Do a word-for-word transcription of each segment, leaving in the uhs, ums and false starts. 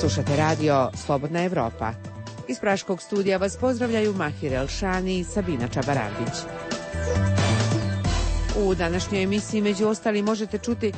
Slušate radio Slobodna Evropa. Iz Praškog studija vas pozdravljaju Mahir Elšani i Sabina Čabarandić. U današnjoj emisiji među ostali možete čuti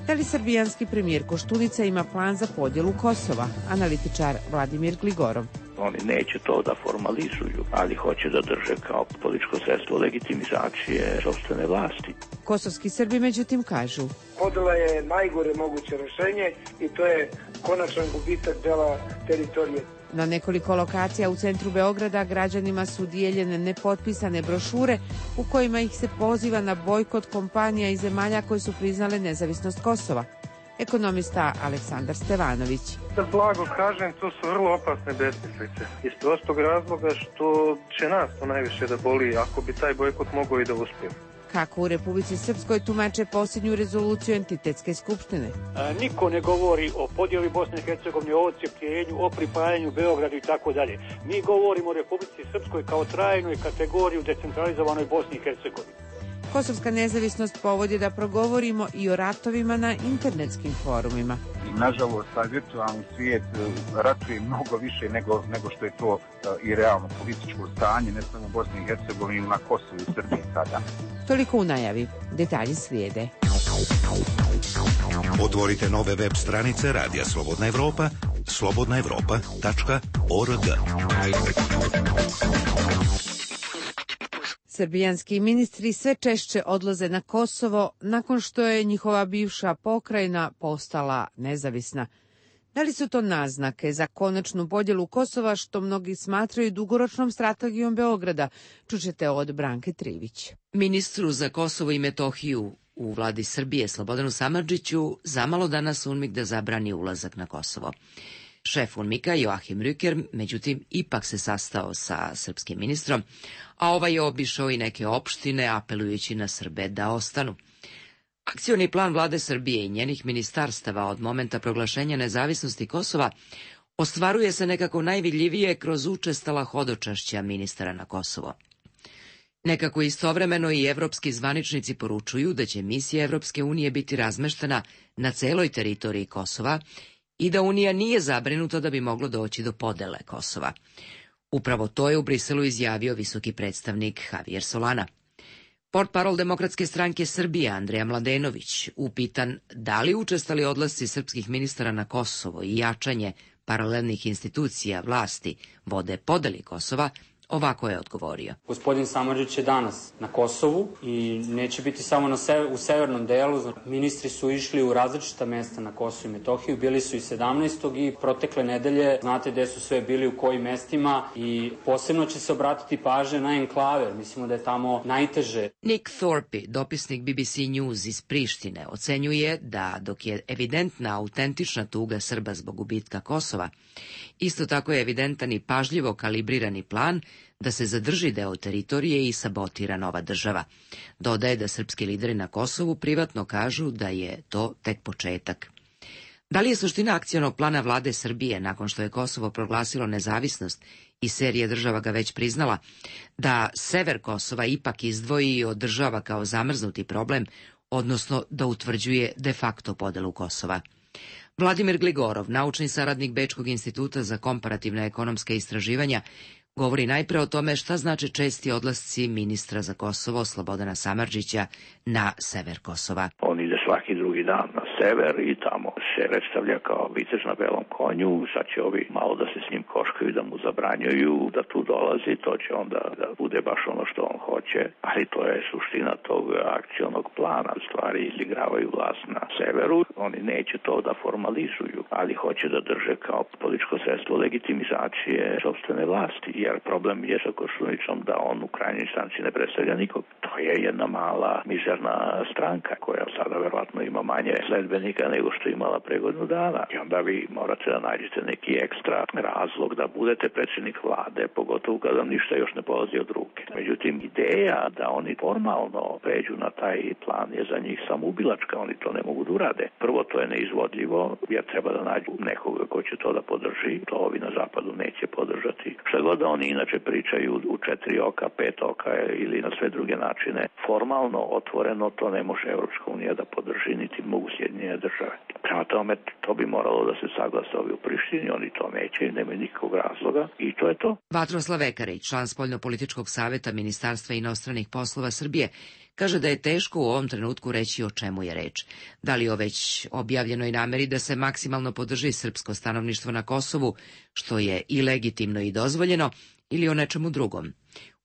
da li srbijanski premijer Koštunica ima plan za podjelu Kosova, analitičar Vladimir Gligorov. Oni neće to da formalizuju, ali hoće da drže kao političko sredstvo legitimizacije sopstvene vlasti. Kosovski Srbi međutim kažu: podela je najgore moguće rešenje i to je konačan gubitak dela teritorije. Na nekoliko lokacija u centru Beograda građanima su dijeljene nepotpisane brošure u kojima ih se poziva na bojkot kompanija i zemalja koje su priznale nezavisnost Kosova. Ekonomista Aleksandar Stevanović. Da blago kažem, to su vrlo opasne besmislice. Iz prostog razloga što će nas to najviše da boli ako bi taj bojkot mogao i da uspije. Kako u Republici Srpskoj tumače posljednju rezoluciju Entitetske skupštine? A, niko ne govori o podjeli Bosne i Hercegovine, o odcepljenju, o pripajanju Beogradu i tako dalje. Mi govorimo o Republici Srpskoj kao trajnoj kategoriji u decentralizovanoj Bosni i Hercegovini. Kosovska nezavisnost povod je da progovorimo i o ratovima na internetskim forumima. I nažalost, taj virtualni svijet ratuje mnogo više nego, nego što je to uh, i realno političko stanje, ne samo u Bosni i Hercegovini, na Kosovu i Srbiji sada. Toliko u najavi. Detalji slijede. Otvorite nove web stranice Radija Slobodna Evropa, slobodna evropa tačka org. Srbijanski ministri sve češće odlaze na Kosovo nakon što je njihova bivša pokrajina postala nezavisna. Da li su to naznake za konačnu podjelu Kosova, što mnogi smatraju dugoročnom strategijom Beograda? Čućete od Branke Trivić. Ministru za Kosovo i Metohiju u vladi Srbije Slobodanu Samardžiću zamalo danas UNMIK da zabrani ulazak na Kosovo. Šef UNMIK-a Joachim Rücker, međutim, ipak se sastao sa srpskim ministrom, a ovaj je obišao i neke opštine, apelujući na Srbe da ostanu. Akcioni plan vlade Srbije i njenih ministarstava od momenta proglašenja nezavisnosti Kosova ostvaruje se nekako najvidljivije kroz učestala hodočašća ministara na Kosovo. Nekako istovremeno i evropski zvaničnici poručuju da će misija Evropske unije biti razmeštena na celoj teritoriji Kosova i da Unija nije zabrinuta da bi moglo doći do podele Kosova. Upravo to je u Briselu izjavio visoki predstavnik Javier Solana. Portparol Demokratske stranke Srbije Andreja Mladenović, upitan da li učestali odlasci srpskih ministara na Kosovo i jačanje paralelnih institucija vlasti vode podeli Kosova, ovako je odgovorio. Gospodin Samardžić je danas na Kosovu i neće biti samo na sever, u severnom delu. Ministri su išli u različita mesta na Kosovu i Metohiju. Bili su i sedamnaestog i protekle nedelje. Znate gde su sve bili, u kojim mestima i posebno će se obratiti pažnja na enklave. Mislimo da je tamo najteže. Nick Thorpe, dopisnik B B C News iz Prištine, ocenjuje da dok je evidentna autentična tuga Srba zbog gubitka Kosova, isto tako je evidentan i pažljivo kalibrirani plan da se zadrži deo teritorije i sabotira nova država. Dodaje da srpski lideri na Kosovu privatno kažu da je to tek početak. Da li je suština akcionog plana vlade Srbije, nakon što je Kosovo proglasilo nezavisnost i serija država ga već priznala, da sever Kosova ipak izdvoji i održava kao zamrznuti problem, odnosno da utvrđuje de facto podelu Kosova? Vladimir Gligorov, naučni saradnik Bečkog instituta za komparativna ekonomska istraživanja, govori najpre o tome šta znači česti odlasci ministra za Kosovo Slobodana Samardžića na sever Kosova. On ide svaki drugi dan na sever i tamo se predstavlja kao vitez na belom konju. Sad će ovi malo da se s njim koškaju, da mu zabranjuju da tu dolazi. To će onda da bude baš ono što on hoće. Ali to je suština tog akcionog plana. Stvari izigravaju vlast na severu. Oni neće to da formalizuju, ali hoće da drže kao političko sredstvo legitimizacije sopstvene vlasti. Jer problem je sa Koštuničom da on u krajnjoj instanci ne predstavlja nikog. To je jedna mala, mizerna stranka koja sada verovatno ima manje sledbenika nego što je imala pre godinu dana. I onda vi morate da nađete neki ekstra razlog da budete predsjednik vlade, pogotovo kada vam ništa još ne polazi od ruke. Međutim, ideja da oni formalno pređu na taj plan je za njih samoubilačka. Oni to ne mogu da urade. Prvo, to je neizvodljivo, jer treba da nađu nekoga ko će to da podrži. To ovi na zapadu neće podržati. Šta god da oni inače pričaju u četiri oka, pet oka ili na sve druge načine, formalno, otvoreno, to ne može Evropska unija da podrži, niti mogu Sjedinjene države. Prema tome, to bi moralo da se saglasa ovi u Prištini, oni to neće i nemaju nikakvog razloga i to je to. Vatroslav Ekarić, član Spoljnopolitičkog saveta Ministarstva inostranih poslova Srbije, kaže da je teško u ovom trenutku reći o čemu je reč. Da li o već objavljenoj nameri da se maksimalno podrži srpsko stanovništvo na Kosovu, što je i legitimno i dozvoljeno, ili o nečemu drugom.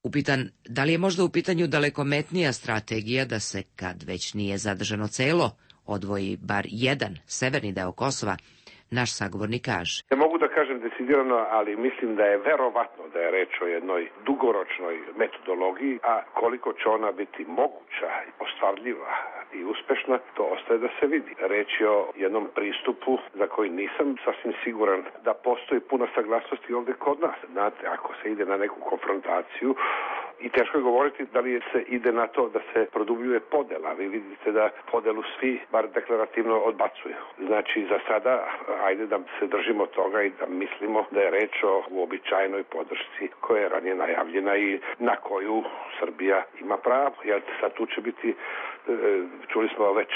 Upitan da li je možda u pitanju dalekometnija strategija da se, kad već nije zadržano celo, odvoji bar jedan severni deo Kosova, naš sagovornik kaže. Ne mogu da kažem decidirano, ali mislim da je verovatno da je reč o jednoj dugoročnoj metodologiji, a koliko će ona biti moguća, ostvarljiva i uspešna, to ostaje da se vidi. Reč je o jednom pristupu za koji nisam sasvim siguran da postoji puna saglasnosti ovde kod nas. Znate, ako se ide na neku konfrontaciju, i teško je govoriti da li se ide na to da se produbljuje podela. Vi vidite da podelu svi, bar deklarativno, odbacuju. Znači, za sada, ajde da se držimo toga i da mislimo da je reč o uobičajenoj podršci koja je ranije najavljena i na koju Srbija ima pravo. Jer sad tu će biti, čuli smo već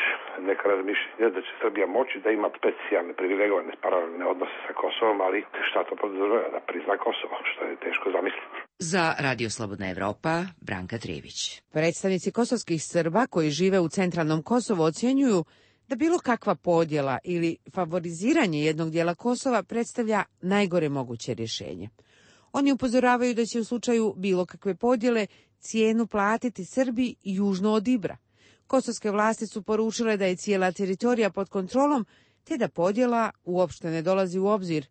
neka razmišljenja da će Srbija moći da ima specijalne, privilegovane, paralelne odnose sa Kosovom, ali šta to podrazumeva? Da prizna Kosovo, što je teško zamisliti. Za Radio Slobodna Evropa, Branka Trijević. Predstavnici kosovskih Srba koji žive u centralnom Kosovu ocjenjuju da bilo kakva podjela ili favoriziranje jednog dijela Kosova predstavlja najgore moguće rješenje. Oni upozoravaju da će u slučaju bilo kakve podjele cijenu platiti Srbi južno od Ibra. Kosovske vlasti su poručile da je cijela teritorija pod kontrolom, te da podjela uopšte ne dolazi u obzir,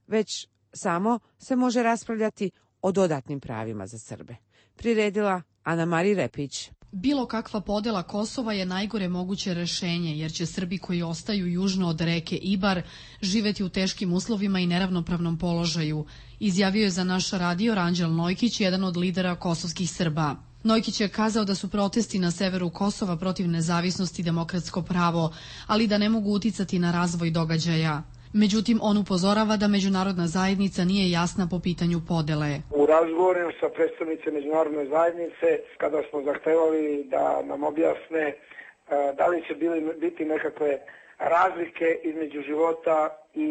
već samo se može raspravljati o dodatnim pravima za Srbe. Priredila Ana Marija Repić. Bilo kakva podela Kosova je najgore moguće rešenje, jer će Srbi koji ostaju južno od reke Ibar živeti u teškim uslovima i neravnopravnom položaju, izjavio je za naš radio Ranđel Nojkić, jedan od lidera kosovskih Srba. Nojkić je kazao da su protesti na severu Kosova protiv nezavisnosti demokratsko pravo, ali da ne mogu uticati na razvoj događaja. Međutim, on upozorava da međunarodna zajednica nije jasna po pitanju podele. U razgovoru sa predstavnice međunarodne zajednice, kada smo zahtevali da nam objasne da li će biti nekakve razlike između života i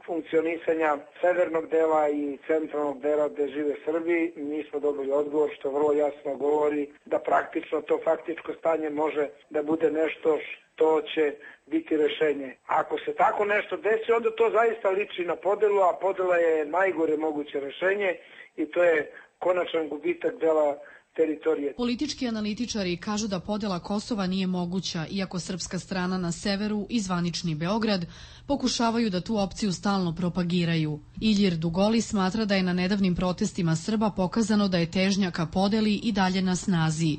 funkcionisanja severnog dela i centralnog dela gde žive Srbi, mi smo dobili odgovor što vrlo jasno govori da praktično to faktičko stanje može da bude nešto što će biti rešenje. Ako se tako nešto desi, onda to zaista liči na podelu, a podela je najgore moguće rešenje i to je konačan gubitak dela teritorije. Politički analitičari kažu da podela Kosova nije moguća, iako srpska strana na severu i zvanični Beograd pokušavaju da tu opciju stalno propagiraju. Iljir Dugoli smatra da je na nedavnim protestima Srba pokazano da je težnja ka podeli i dalje na snazi.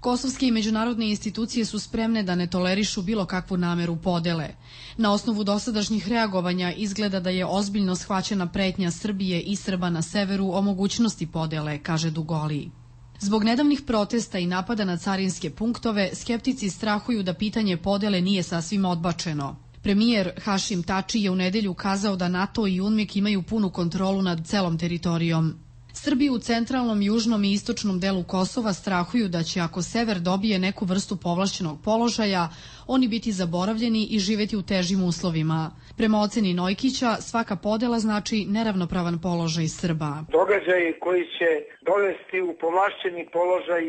Kosovske i međunarodne institucije su spremne da ne tolerišu bilo kakvu nameru podele. Na osnovu dosadašnjih reagovanja izgleda da je ozbiljno shvaćena pretnja Srbije i Srba na severu o mogućnosti podele, kaže Dugoli. Zbog nedavnih protesta i napada na carinske punktove, skeptici strahuju da pitanje podele nije sasvim odbačeno. Premijer Hašim Tači je u nedelju kazao da NATO i UNMIK imaju punu kontrolu nad celom teritorijom. Srbi u centralnom, južnom i istočnom delu Kosova strahuju da će, ako sever dobije neku vrstu povlašćenog položaja, oni biti zaboravljeni i živeti u težim uslovima. Prema oceni Nojkića, svaka podela znači neravnopravan položaj Srba. Događaji koji će dovesti u povlašćeni položaj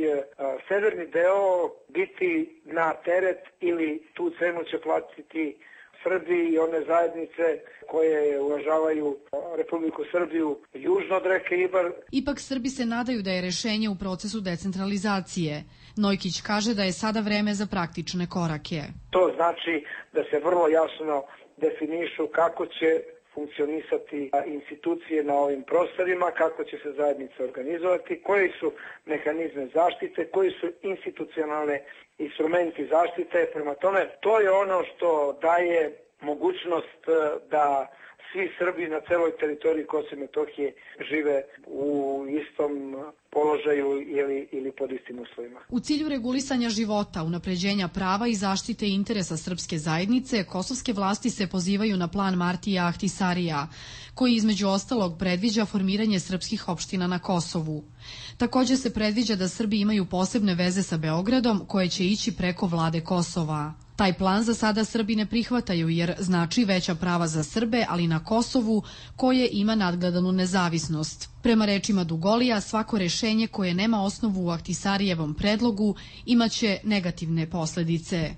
severni deo biti na teret ili tu cenu će platiti Srbi i one zajednice koje uvažavaju Republiku Srbiju južno od reke Ibar. Ipak Srbi se nadaju da je rešenje u procesu decentralizacije. Nojkić kaže da je sada vreme za praktične korake. To znači da se vrlo jasno definišu kako će funkcionisati institucije na ovim prostorima, kako će se zajednice organizovati, koji su mehanizme zaštite, koji su institucionalne instrumenti zaštite. Prema tome, to je ono što daje mogućnost da svi Srbi na celoj teritoriji Kosova i Metohije žive u istom položaju ili, ili pod istim uslovima. U cilju regulisanja života, unapređenja prava i zaštite interesa srpske zajednice, kosovske vlasti se pozivaju na plan Martija Ahtisarija, koji između ostalog predviđa formiranje srpskih opština na Kosovu. Također se predviđa da Srbi imaju posebne veze sa Beogradom koje će ići preko vlade Kosova. Taj plan za sada Srbi ne prihvataju jer znači veća prava za Srbe, ali na Kosovu koje ima nadgledanu nezavisnost. Prema rečima Dugolija, svako rešenje koje nema osnovu u Ahtisarijevom predlogu imaće negativne posledice.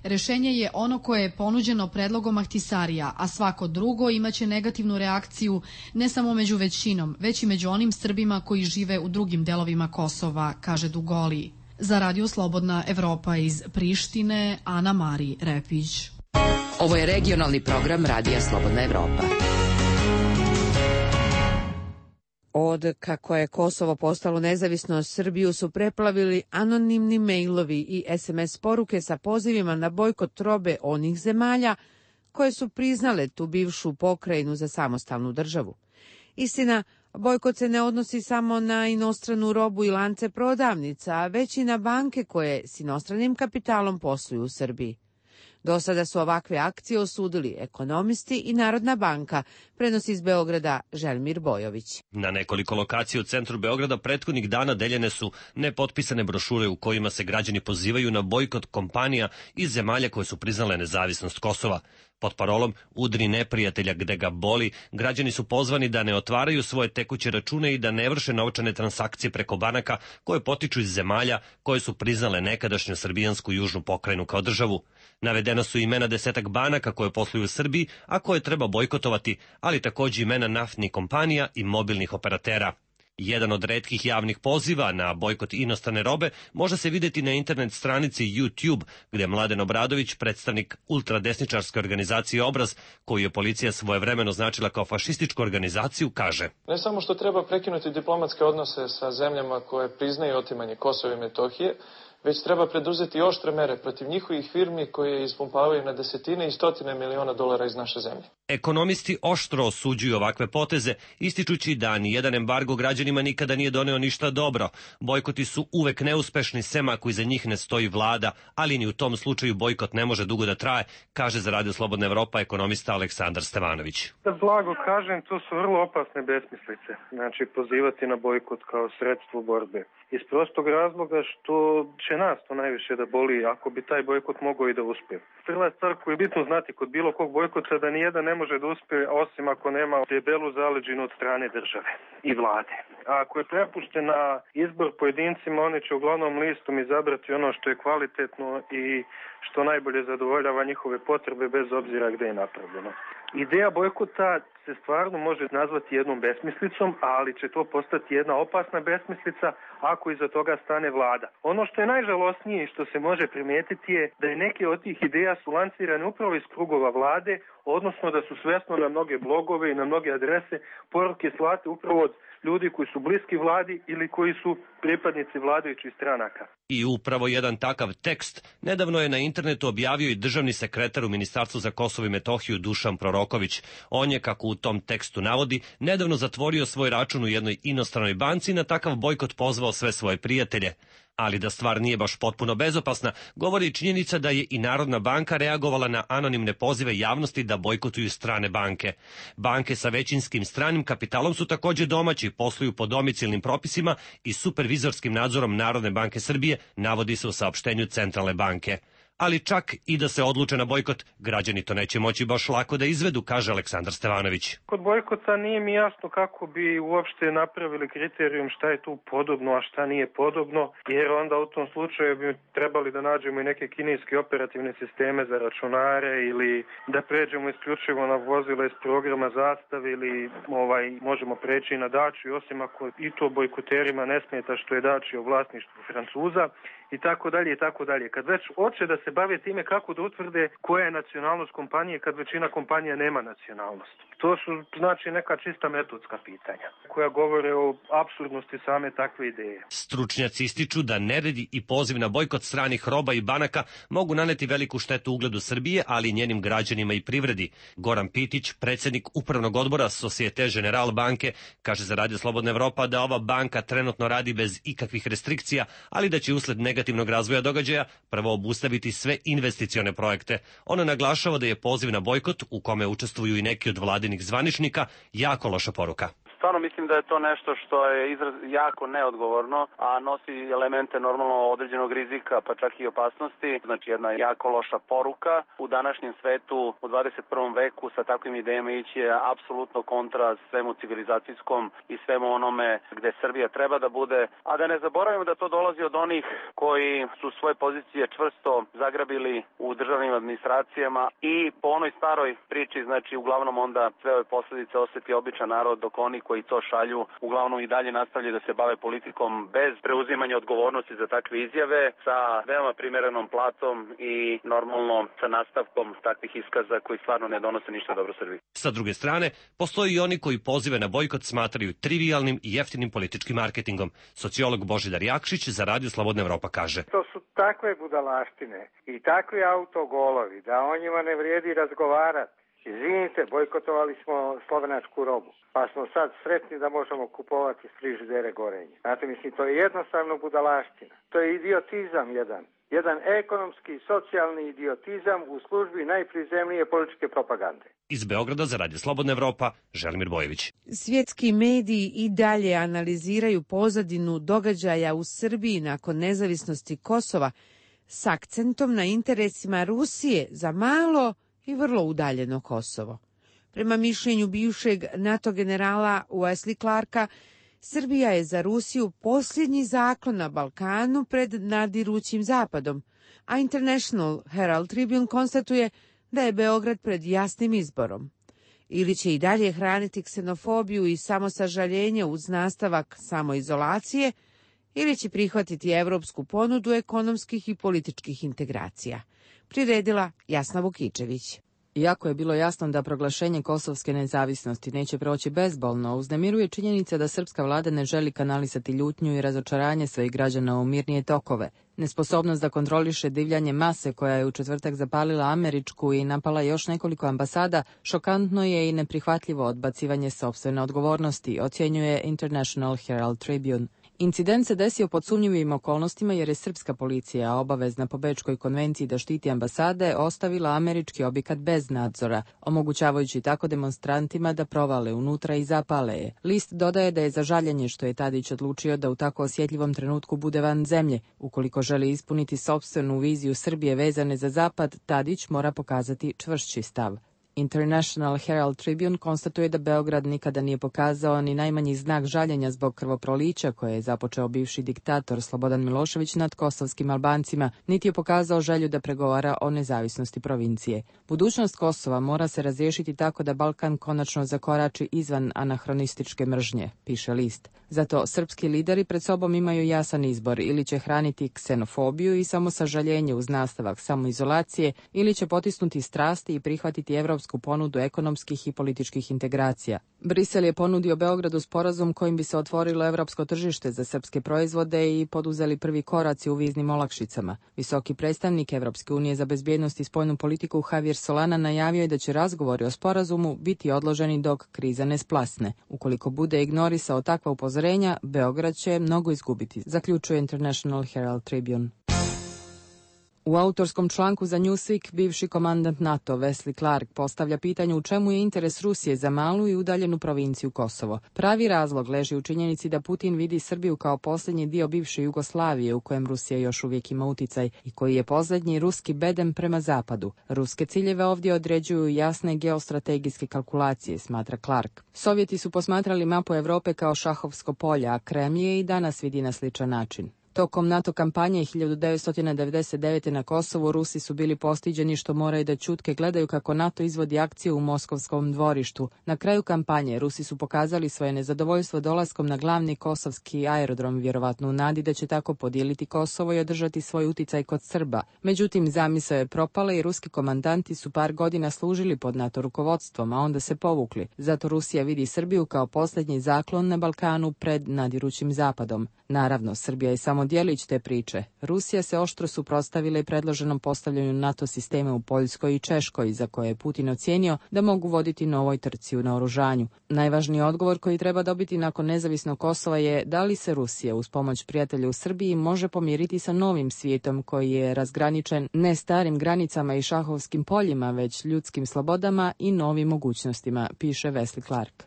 Rešenje je ono koje je ponuđeno predlogom Ahtisarija, a svako drugo imaće negativnu reakciju ne samo među većinom, već i među onim Srbima koji žive u drugim delovima Kosova, kaže Dugoli. Za Radio Slobodna Evropa iz Prištine, Ana Mari Repić. Ovo je regionalni program Radija Slobodna Evropa. Od kako je Kosovo postalo nezavisno, Srbiju su preplavili anonimni mejlovi i es em es poruke sa pozivima na bojkot robe onih zemalja koje su priznale tu bivšu pokrajinu za samostalnu državu. Istina, bojkot se ne odnosi samo na inostranu robu i lance prodavnica, već i na banke koje s inostranim kapitalom posluju u Srbiji. Do sada su ovakve akcije osudili ekonomisti i Narodna banka, prenosi iz Beograda Željmir Bojović. Na nekoliko lokacija u centru Beograda prethodnih dana deljene su nepotpisane brošure u kojima se građani pozivaju na bojkot kompanija iz zemalja koje su priznale nezavisnost Kosova. Pod parolom "Udri neprijatelja gde ga boli", građani su pozvani da ne otvaraju svoje tekuće račune i da ne vrše novčane transakcije preko banaka koje potiču iz zemalja koje su priznale nekadašnju srbijansku južnu pokrajinu kao državu. Navedena su imena desetak banaka koje posluju u Srbiji, a koje treba bojkotovati, ali također imena naftnih kompanija i mobilnih operatera. Jedan od retkih javnih poziva na bojkot inostrane robe može se vidjeti na internet stranici YouTube, gdje Mladen Obradović, predstavnik ultradesničarske organizacije Obraz, koju je policija svojevremeno označila kao fašističku organizaciju, kaže: Ne samo što treba prekinuti diplomatske odnose sa zemljama koje priznaju otimanje Kosova i Metohije, već treba preduzeti oštre mere protiv njihovih firmi koje ispumpavaju na desetine i stotine miliona dolara iz naše zemlje. Ekonomisti oštro osuđuju ovakve poteze, ističući da ni jedan embargo građanima nikada nije doneo ništa dobro. Bojkoti su uvek neuspešni, sem ako iza njih ne stoji vlada, ali ni u tom slučaju bojkot ne može dugo da traje, kaže za Radio Slobodna Evropa ekonomista Aleksandar Stevanović. Da blago kažem, to su vrlo opasne besmislice, znači pozivati na bojkot kao sredstvo borbe. Iz prostog razloga što će nas to najviše da boli ako bi taj bojkot mogao i da uspije. Prva stvar koju je bitno znati kod bilo kog bojkota da nijedan ne može da uspije osim ako nema debelu zaleđinu od strane države i vlade. A ako je prepušten na izbor pojedincima, oni će uglavnom listom izabrati ono što je kvalitetno i što najbolje zadovoljava njihove potrebe bez obzira gde je napravljeno. Ideja bojkota se stvarno može nazvati jednom besmislicom, ali će to postati jedna opasna besmislica ako iza toga stane vlada. Ono što je najžalosnije i što se može primijetiti je da je neke od tih ideja su lancirane upravo iz krugova vlade, odnosno da su svesno na mnoge blogove i na mnoge adrese poruke slate upravo od ljudi koji su bliski vladi ili koji su pripadnici vladajućih stranaka. I upravo jedan takav tekst nedavno je na internetu objavio i državni sekretar u Ministarstvu za Kosovo i Metohiju Dušan Proroković. On je, kako u tom tekstu navodi, nedavno zatvorio svoj račun u jednoj inostranoj banci i na takav bojkot pozvao sve svoje prijatelje. Ali da stvar nije baš potpuno bezopasna, govori činjenica da je i Narodna banka reagovala na anonimne pozive javnosti da bojkotuju strane banke. Banke sa većinskim stranim kapitalom su također domaći, posluju po domicilnim propisima i supervizorskim nadzorom Narodne banke Srbije, navodi se u saopštenju Centralne banke. Ali čak i da se odluče na bojkot, građani to neće moći baš lako da izvedu, kaže Aleksandar Stevanović. Kod bojkota nije mi jasno kako bi uopšte napravili kriterijum šta je tu podobno, a šta nije podobno, jer onda u tom slučaju bi trebali da nađemo i neke kineske operativne sisteme za računare ili da pređemo isključivo na vozila iz programa Zastave ili ovaj, možemo preći na Dačiju, osim ako i to bojkoterima ne smeta što je Dačija u vlasništvu Francuza, i tako dalje i tako dalje. Kad već hoće da se bave time kako da utvrde koja je nacionalnost kompanije kad većina kompanija nema nacionalnost. To su znači neka čista metodska pitanja. koja govore o apsurdnosti same takve ideje. Stručnjaci ističu da neredi i poziv na bojkot stranih roba i banaka mogu naneti veliku štetu ugledu Srbije, ali i njenim građanima i privredi. Goran Pitić, predsjednik upravnog odbora Societe Generale banke, kaže za Radio Slobodna Evropa da ova banka trenutno radi bez ikakvih restrikcija, ali da će usled negativnog razvoja događaja prvo obustaviti sve investicione projekte. Ona naglašava da je poziv na bojkot, u kome učestvuju i neki od vladinih zvaničnika, jako loša poruka. Stvarno mislim da je to nešto što je izraz jako neodgovorno, a nosi elemente normalno određenog rizika, pa čak i opasnosti. Znači jedna jako loša poruka. U današnjem svetu, u dvadeset prvom veku, sa takvim idejama ići je apsolutno kontra svemu civilizacijskom i svemu onome gde Srbija treba da bude. A da ne zaboravimo da to dolazi od onih koji su svoje pozicije čvrsto zagrabili u državnim administracijama i po onoj staroj priči, znači uglavnom onda sve ove posljedice osjeti običan narod, dok oni koji to šalju uglavnom i dalje nastavljaju da se bave politikom bez preuzimanja odgovornosti za takve izjave, sa veoma primerenom platom i normalno sa nastavkom takvih iskaza koji stvarno ne donose ništa dobro Srbiji. Sa druge strane, postoji i oni koji pozive na bojkot smatraju trivijalnim i jeftinim političkim marketingom. Sociolog Božidar Jakšić za Radio Slobodna Evropa kaže: To su takve budalaštine i takvi autogolovi da o njima ne vrijedi razgovarati. Izvinite, bojkotovali smo slovenačku robu, pa smo sad sretni da možemo kupovati frižidere Gorenje. Znate, mislim, to je jednostavno budalaština. To je idiotizam jedan. Jedan ekonomski, socijalni idiotizam u službi najprizemnije političke propagande. Iz Beograda za Radio Slobodna Evropa, Želimir Bojević. Svjetski mediji i dalje analiziraju pozadinu događaja u Srbiji nakon nezavisnosti Kosova s akcentom na interesima Rusije za malo i vrlo udaljeno Kosovo. Prema mišljenju bivšeg NATO generala Wesley Clarka, Srbija je za Rusiju posljednji zaklon na Balkanu pred nadirućim Zapadom, a International Herald Tribune konstatuje da je Beograd pred jasnim izborom. Ili će i dalje hraniti ksenofobiju i samosažaljenje uz nastavak samoizolacije, ili će prihvatiti evropsku ponudu ekonomskih i političkih integracija. Priredila Jasna Vukičević. Iako je bilo jasno da proglašenje kosovske nezavisnosti neće proći bezbolno, uznemiruje činjenica da srpska vlada ne želi kanalisati ljutnju i razočaranje svojih građana u mirnije tokove. Nesposobnost da kontroliše divljanje mase koja je u četvrtak zapalila američku i napala još nekoliko ambasada, šokantno je i neprihvatljivo odbacivanje sopstvene odgovornosti, ocjenjuje International Herald Tribune. Incident se desio pod sumnjivim okolnostima jer je srpska policija, obavezna po Bečkoj konvenciji da štiti ambasade, ostavila američki objekat bez nadzora, omogućavajući tako demonstrantima da provale unutra i zapale je. List dodaje da je za žaljenje što je Tadić odlučio da u tako osjetljivom trenutku bude van zemlje. Ukoliko želi ispuniti sopstvenu viziju Srbije vezane za Zapad, Tadić mora pokazati čvršći stav. International Herald Tribune konstatuje da Beograd nikada nije pokazao ni najmanji znak žaljenja zbog krvoprolića koje je započeo bivši diktator Slobodan Milošević nad kosovskim Albancima, niti je pokazao želju da pregovara o nezavisnosti provincije. Budućnost Kosova mora se razriješiti tako da Balkan konačno zakorači izvan anahronističke mržnje, piše list. Zato srpski lideri pred sobom imaju jasan izbor, ili će hraniti ksenofobiju i samosažaljenje uz nastavak samoizolacije, ili će potisnuti strasti i prihvatiti evropsku ponudu ekonomskih i političkih integracija. Brisel je ponudio Beogradu sporazum kojim bi se otvorilo evropsko tržište za srpske proizvode i poduzeli prvi koraci u viznim olakšicama. Visoki predstavnik Evropske unije za bezbjednost i spoljnu politiku Javier Solana najavio je da će razgovori o sporazumu biti odloženi dok kriza ne splasne. Ukoliko bude ignorisao takva upozorenja, Beograd će mnogo izgubiti, zaključuje International Herald Tribune. U autorskom članku za Newsweek bivši komandant NATO Wesley Clark postavlja pitanje u čemu je interes Rusije za malu i udaljenu provinciju Kosovo. Pravi razlog leži u činjenici da Putin vidi Srbiju kao posljednji dio bivše Jugoslavije u kojem Rusija još uvijek ima uticaj i koji je posljednji ruski bedem prema zapadu. Ruske ciljeve ovdje određuju jasne geostrategijske kalkulacije, smatra Clark. Sovjeti su posmatrali mapu Evrope kao šahovsko polje, a Kremlj je i danas vidi na sličan način. Tokom NATO kampanje hiljadu devetsto devedeset devete. na Kosovu Rusi su bili postiđeni što moraju da ćutke gledaju kako NATO izvodi akciju u Moskovskom dvorištu. Na kraju kampanje Rusi su pokazali svoje nezadovoljstvo dolaskom na glavni kosovski aerodrom, vjerovatno u nadi da će tako podijeliti Kosovo i održati svoj uticaj kod Srba. Međutim, zamisao je propala i ruski komandanti su par godina služili pod NATO rukovodstvom, a onda se povukli. Zato Rusija vidi Srbiju kao posljednji zaklon na Balkanu pred nadirućim Zapadom. Naravno, Srbija je samo djelić te priče. Rusija se oštro suprotstavila i predloženom postavljanju NATO sistema u Poljskoj i Češkoj, za koje je Putin ocijenio da mogu voditi novoj trci u naoružanju. Najvažniji odgovor koji treba dobiti nakon nezavisnog Kosova je da li se Rusija uz pomoć prijatelja u Srbiji može pomiriti sa novim svijetom koji je razgraničen ne starim granicama i šahovskim poljima, već ljudskim slobodama i novim mogućnostima, piše Wesley Clark.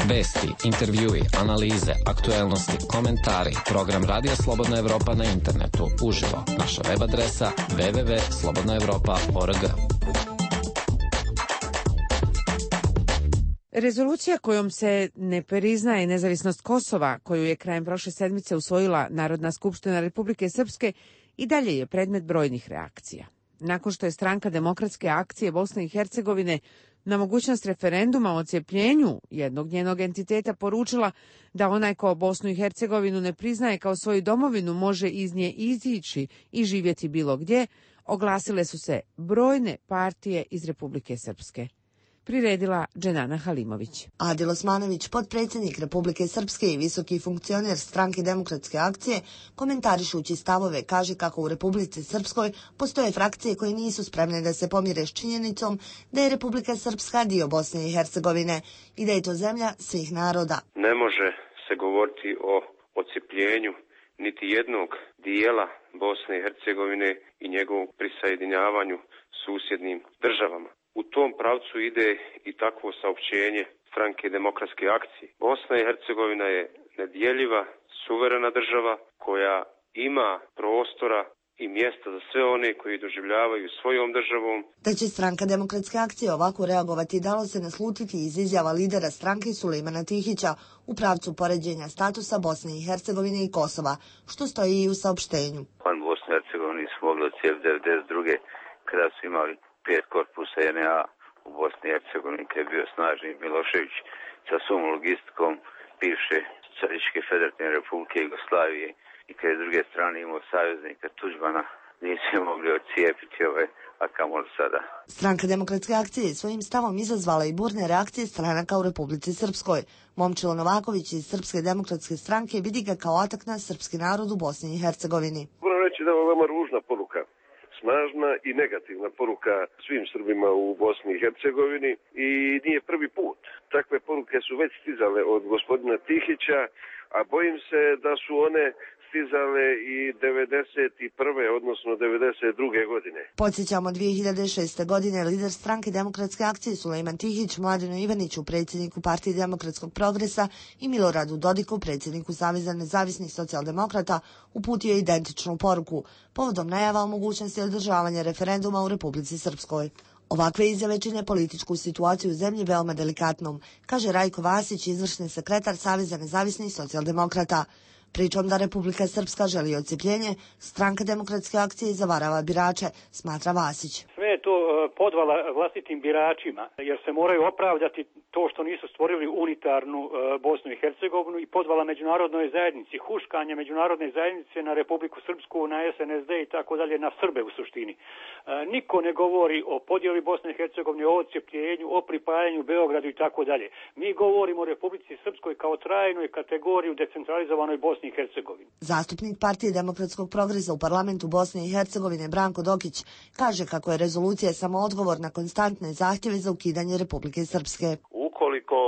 Vesti, intervjui, analize, aktuelnosti, komentari, program Radija Slobodna Evropa na internetu, uživo, naša web adresa w w w tačka slobodna evropa tačka org. Rezolucija kojom se ne priznaje nezavisnost Kosova, koju je krajem prošle sedmice usvojila Narodna skupština Republike Srpske, i dalje je predmet brojnih reakcija. Nakon što je Stranka demokratske akcije Bosne i Hercegovine na mogućnost referenduma o odcijepljenju jednog njenog entiteta poručila da onaj ko Bosnu i Hercegovinu ne priznaje kao svoju domovinu može iz nje izići i živjeti bilo gdje, oglasile su se brojne partije iz Republike Srpske. Priredila Dženana Halimović. Adil Osmanović, potpredsjednik Republike Srpske i visoki funkcioner Stranke demokratske akcije, komentarišući stavove, kaže kako u Republici Srpskoj postoje frakcije koje nisu spremne da se pomire s činjenicom da je Republika Srpska dio Bosne i Hercegovine i da je to zemlja svih naroda. Ne može se govoriti o odcijepljenju niti jednog dijela Bosne i Hercegovine i njegovom prisajedinjavanju susjednim državama. U tom pravcu ide i takvo saopćenje Stranke demokratske akcije. Bosna i Hercegovina je nedjeljiva, suverena država koja ima prostora i mjesta za sve one koji doživljavaju svojom državom. Da će Stranka demokratske akcije ovako reagovati dalo se naslutiti iz izjava lidera stranke Sulejmana Tihića u pravcu poređenja statusa Bosne i Hercegovine i Kosova, što stoji i u saopštenju. Pan Bosne i Hercegovine smo mogli odcijepiti devedeset druge kada su imali pet korpusa N A u Bosni i Hercegovini, kad je bio snažni Milošević sa svom logistikom bivše Socijalističke federativne republike Jugoslavije i kad je s druge strane imao saveznika Tuđmana, nisu mogli odcijepiti ove, a kamoli sada. Stranka demokratske akcije svojim stavom izazvala i burne reakcije stranaka u Republici Srpskoj. Momčilo Novaković iz Srpske demokratske stranke vidi ga kao atak na srpski narod u Bosni i Hercegovini. Moram reći da je ovo veoma ružna poruka. Snažna i negativna poruka svim Srbima u Bosni i Hercegovini i nije prvi put. Takve poruke su već stizale od gospodina Tihića, a bojim se da su one stizale i devedeset prve odnosno devedeset druge godine. Podsjećamo, dvije hiljade šeste. godine lider Stranke demokratske akcije Sulejman Tihić Mladenu Ivaniću, predsjedniku Partije demokratskog progresa, i Miloradu Dodiku, predsjedniku Saveza nezavisnih socijaldemokrata, uputio identičnu poruku povodom najava o mogućnosti održavanja referenduma u Republici Srpskoj. Ovakve izjave čine političku situaciju u zemlji veoma delikatnom, kaže Rajko Vasić, izvršni sekretar Saveza nezavisnih socijaldemokrata. Pričom da Republika Srpska želi odcijepljenje, Stranka demokratske akcije zavarava birače, smatra Vasić. Sve je to podvala vlastitim biračima, jer se moraju opravdati to što nisu stvorili unitarnu Bosnu i Hercegovinu i podvala međunarodnoj zajednici, huškanje međunarodne zajednice na Republiku Srpsku, na S N S D i tako dalje, na Srbe u suštini. Niko ne govori o podjeli Bosne i Hercegovine, o odcijepljenju, o pripajanju Beogradu i tako dalje. Mi govorimo o Republici Srpskoj kao trajnoj kategoriji u decentralizovanoj Bosni i Hercegovini. Zastupnik Partije demokratskog progresa u parlamentu Bosne i Hercegovine Branko Dokić kaže kako je rezolucija samo odgovor na konstantne zahtjeve za ukidanje Republike Srpske. Ukoliko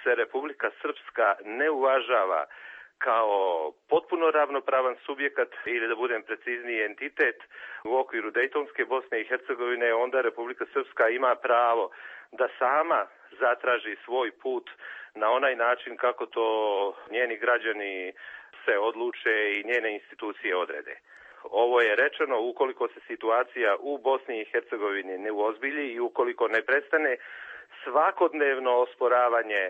se Republika Srpska ne uvažava kao potpuno ravnopravan subjekat ili, da budem precizniji, entitet u okviru Dejtonske Bosne i Hercegovine, onda Republika Srpska ima pravo da sama zatraži svoj put na onaj način kako to njeni građani se odluče i njene institucije odrede. Ovo je rečeno ukoliko se situacija u Bosni i Hercegovini ne uozbilji i ukoliko ne prestane svakodnevno osporavanje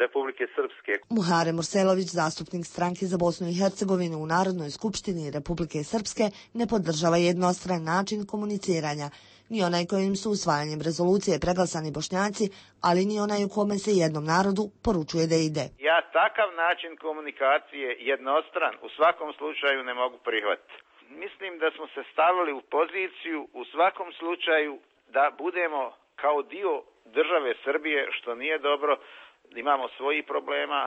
Republike Srpske. Muhare Murselović, zastupnik stranke za Bosnu i Hercegovinu u Narodnoj skupštini Republike Srpske, ne podržava jednostran način komuniciranja, ni onaj kojim su usvajanjem rezolucije preglasani Bošnjaci, ali ni onaj u kome se jednom narodu poručuje da ide. Ja takav način komunikacije jednostran u svakom slučaju ne mogu prihvatiti. Mislim da smo se stavili u poziciju u svakom slučaju da budemo kao dio države Srbije, što nije dobro. Imamo svojih problema,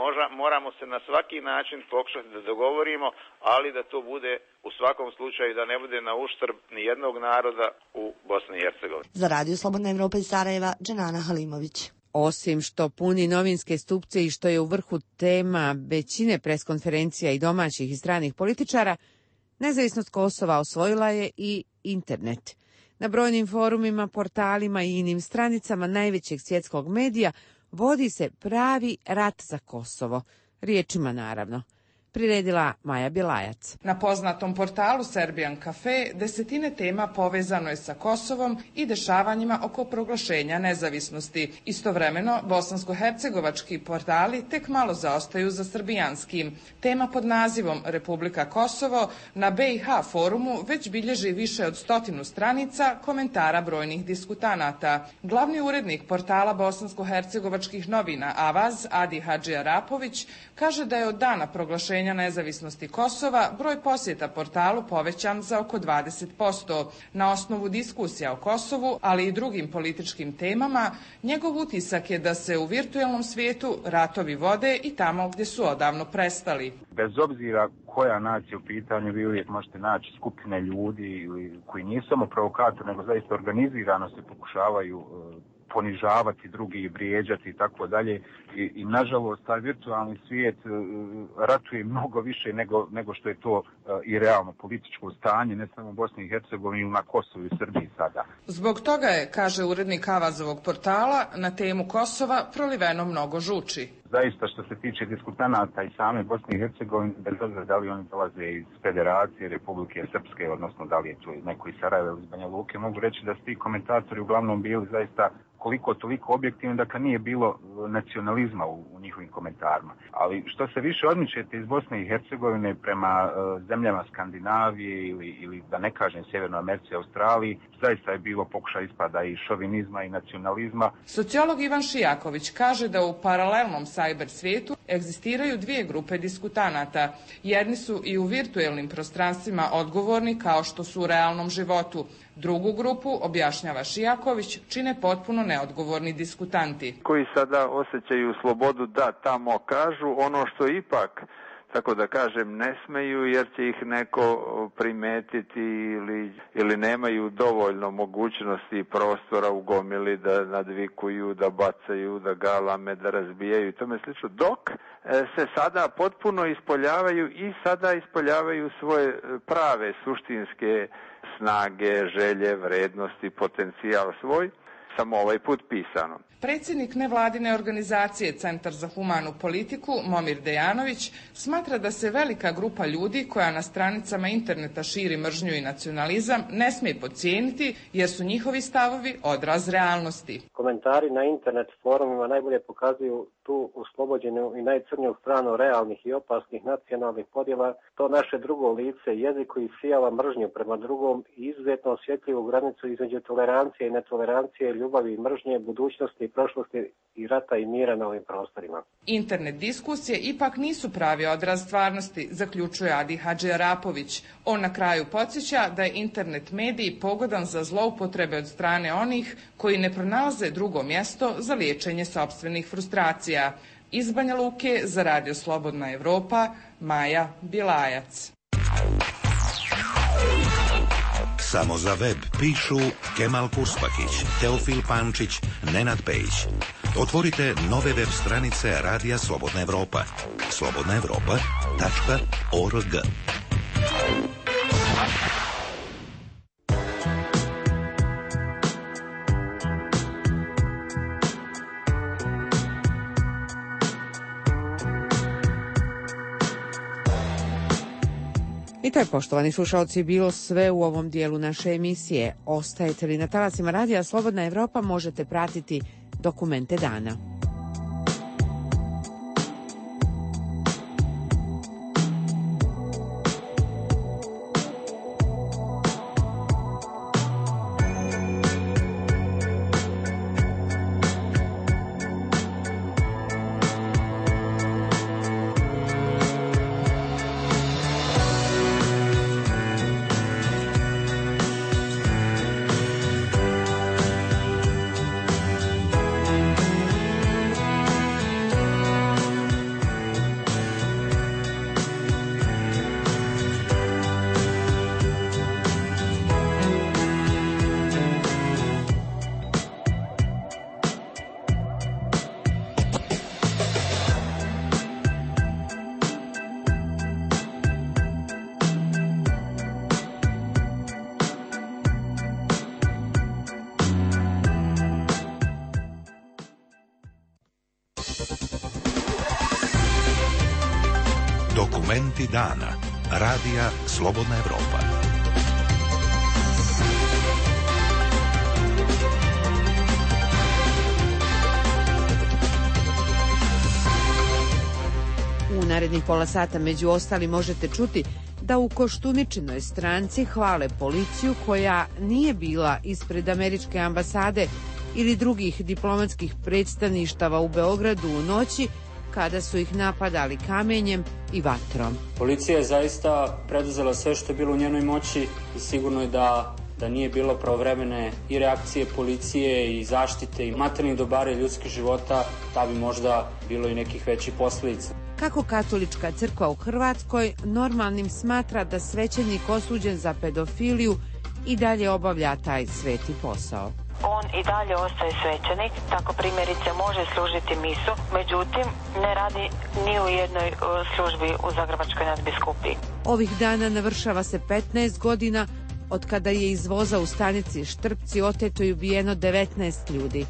možda, moramo se na svaki način pokušati da dogovorimo, ali da to bude u svakom slučaju da ne bude na uštrb ni jednog naroda u Bosni i Hercegovini. Za Radio Slobodna Evropa iz Sarajeva, Dženana Halimović. Osim što puni novinske stupce i što je u vrhu tema većine preskonferencija i domaćih i stranih političara, nezavisnost Kosova osvojila je i internet. Na brojnim forumima, portalima i inim stranicama najvećeg svjetskog medija vodi se pravi rat za Kosovo, riječima naravno. Priredila Maja Bjelajac. Na poznatom portalu Serbian Cafe desetine tema povezano je sa Kosovom i dešavanjima oko proglašenja nezavisnosti. Istovremeno, bosansko-hercegovački portali tek malo zaostaju za srbijanskim. Tema pod nazivom Republika Kosovo na B i H forumu već bilježi više od stotinu stranica komentara brojnih diskutanata. Glavni urednik portala bosansko-hercegovačkih novina Avaz, Adi Hadži Arapović, kaže da je od dana proglašenja nezavisnosti Kosova broj posjeta portalu povećan za oko dvadeset posto. Na osnovu diskusija o Kosovu, ali i drugim političkim temama, njegov utisak je da se u virtuelnom svijetu ratovi vode i tamo gdje su odavno prestali. Bez obzira koja nacija u pitanju, vi uvijek možete naći skupine ljudi koji nisu samo provokatori, nego zaista organizirano se pokušavaju ponižavati drugi i vrijeđati i tako dalje. I, i nažalost taj virtualni svijet uh, ratuje mnogo više nego, nego što je to uh, i realno političko stanje, ne samo u Bosni i Hercegovini, na Kosovu i Srbiji sada. Zbog toga je, kaže urednik Avazovog portala, na temu Kosova proliveno mnogo žuči. Zaista što se tiče diskutanata i same Bosne i Hercegovine, bez obzira da li oni dolaze iz Federacije Republike Srpske, odnosno da li je to neko iz Sarajeva ili iz Banja Luke, mogu reći da su ti komentatori uglavnom bili zaista koliko toliko objektivno, dakle nije bilo nacionalizma u, u njihovim komentarima. Ali što se više odmičete iz Bosne i Hercegovine prema uh, zemljama Skandinavije ili, ili da ne kažem Sjevernoj Americi i Australiji, zaista je bilo pokušaj ispada i šovinizma i nacionalizma. Sociolog Ivan Šijaković kaže da u paralelnom cyber svijetu egzistiraju dvije grupe diskutanata. Jedni su i u virtuelnim prostranstvima odgovorni kao što su u realnom životu. Drugu grupu, objašnjava Šijaković, čine potpuno neodgovorni diskutanti. Koji sada osjećaju slobodu da tamo kažu ono što ipak, tako da kažem, ne smeju jer će ih neko primetiti ili, ili nemaju dovoljno mogućnosti i prostora u gomili da nadvikuju, da bacaju, da galame, da razbijaju i tome slično. Dok se sada potpuno ispoljavaju i sada ispoljavaju svoje prave suštinske snage, želje, vrednosti, potencijal svoj, samo ovaj put pisano. Predsjednik nevladine organizacije Centar za humanu politiku, Momir Dejanović, smatra da se velika grupa ljudi koja na stranicama interneta širi mržnju i nacionalizam ne smije podcijeniti jer su njihovi stavovi odraz realnosti. Komentari na internet forumima najbolje pokazuju tu uslobođenu i najcrniju stranu realnih i opasnih nacionalnih podjela, to naše drugo lice, jezik koji sijava mržnju prema drugom i izuzetno osjetljivu granicu između tolerancije i netolerancije, ljubavi i mržnje, budućnosti i prošlosti i rata i mira na ovim prostorima. Internet diskusije ipak nisu pravi odraz stvarnosti, zaključuje Adi Hadži Arapović. On na kraju podsjeća da je internet medij pogodan za zloupotrebe od strane onih koji ne pronalaze drugo mjesto za liječenje sopstvenih frustracija. Iz Banja Luke za Radio Slobodna Evropa, Maja Bjelajac. Samo za web pišu Kemal Kurspakić, Teofil Pančić, Nenad Pejić. Otvorite nove web stranice Radija Slobodna Evropa. slobodna evropa tačka org. I to je, poštovani slušalci, bilo sve u ovom dijelu naše emisije. Ostajete li na talasima Radija Slobodna Evropa, možete pratiti Dokumente dana. Dokumenti dana. Radija Slobodna Evropa. U narednih pola sata među ostali možete čuti da u Koštuničinoj stranci hvale policiju koja nije bila ispred američke ambasade ili drugih diplomatskih predstavništava u Beogradu u noći kada su ih napadali kamenjem i vatrom. Policija je zaista preduzela sve što je bilo u njenoj moći i sigurno je da, da nije bilo pravovremene i reakcije policije i zaštite i materijalnih dobara i ljudskih života, da bi možda bilo i nekih većih posljedica. Kako katolička crkva u Hrvatskoj normalnim smatra da svećenik osuđen za pedofiliju i dalje obavlja taj sveti posao. On i dalje ostaje svećenik, tako primjerice može služiti misu, međutim ne radi ni u jednoj službi u Zagrebačkoj nadbiskupiji. Ovih dana navršava se petnaest godina od kada je iz voza u stanici Štrpci oteto i ubijeno devetnaest ljudi,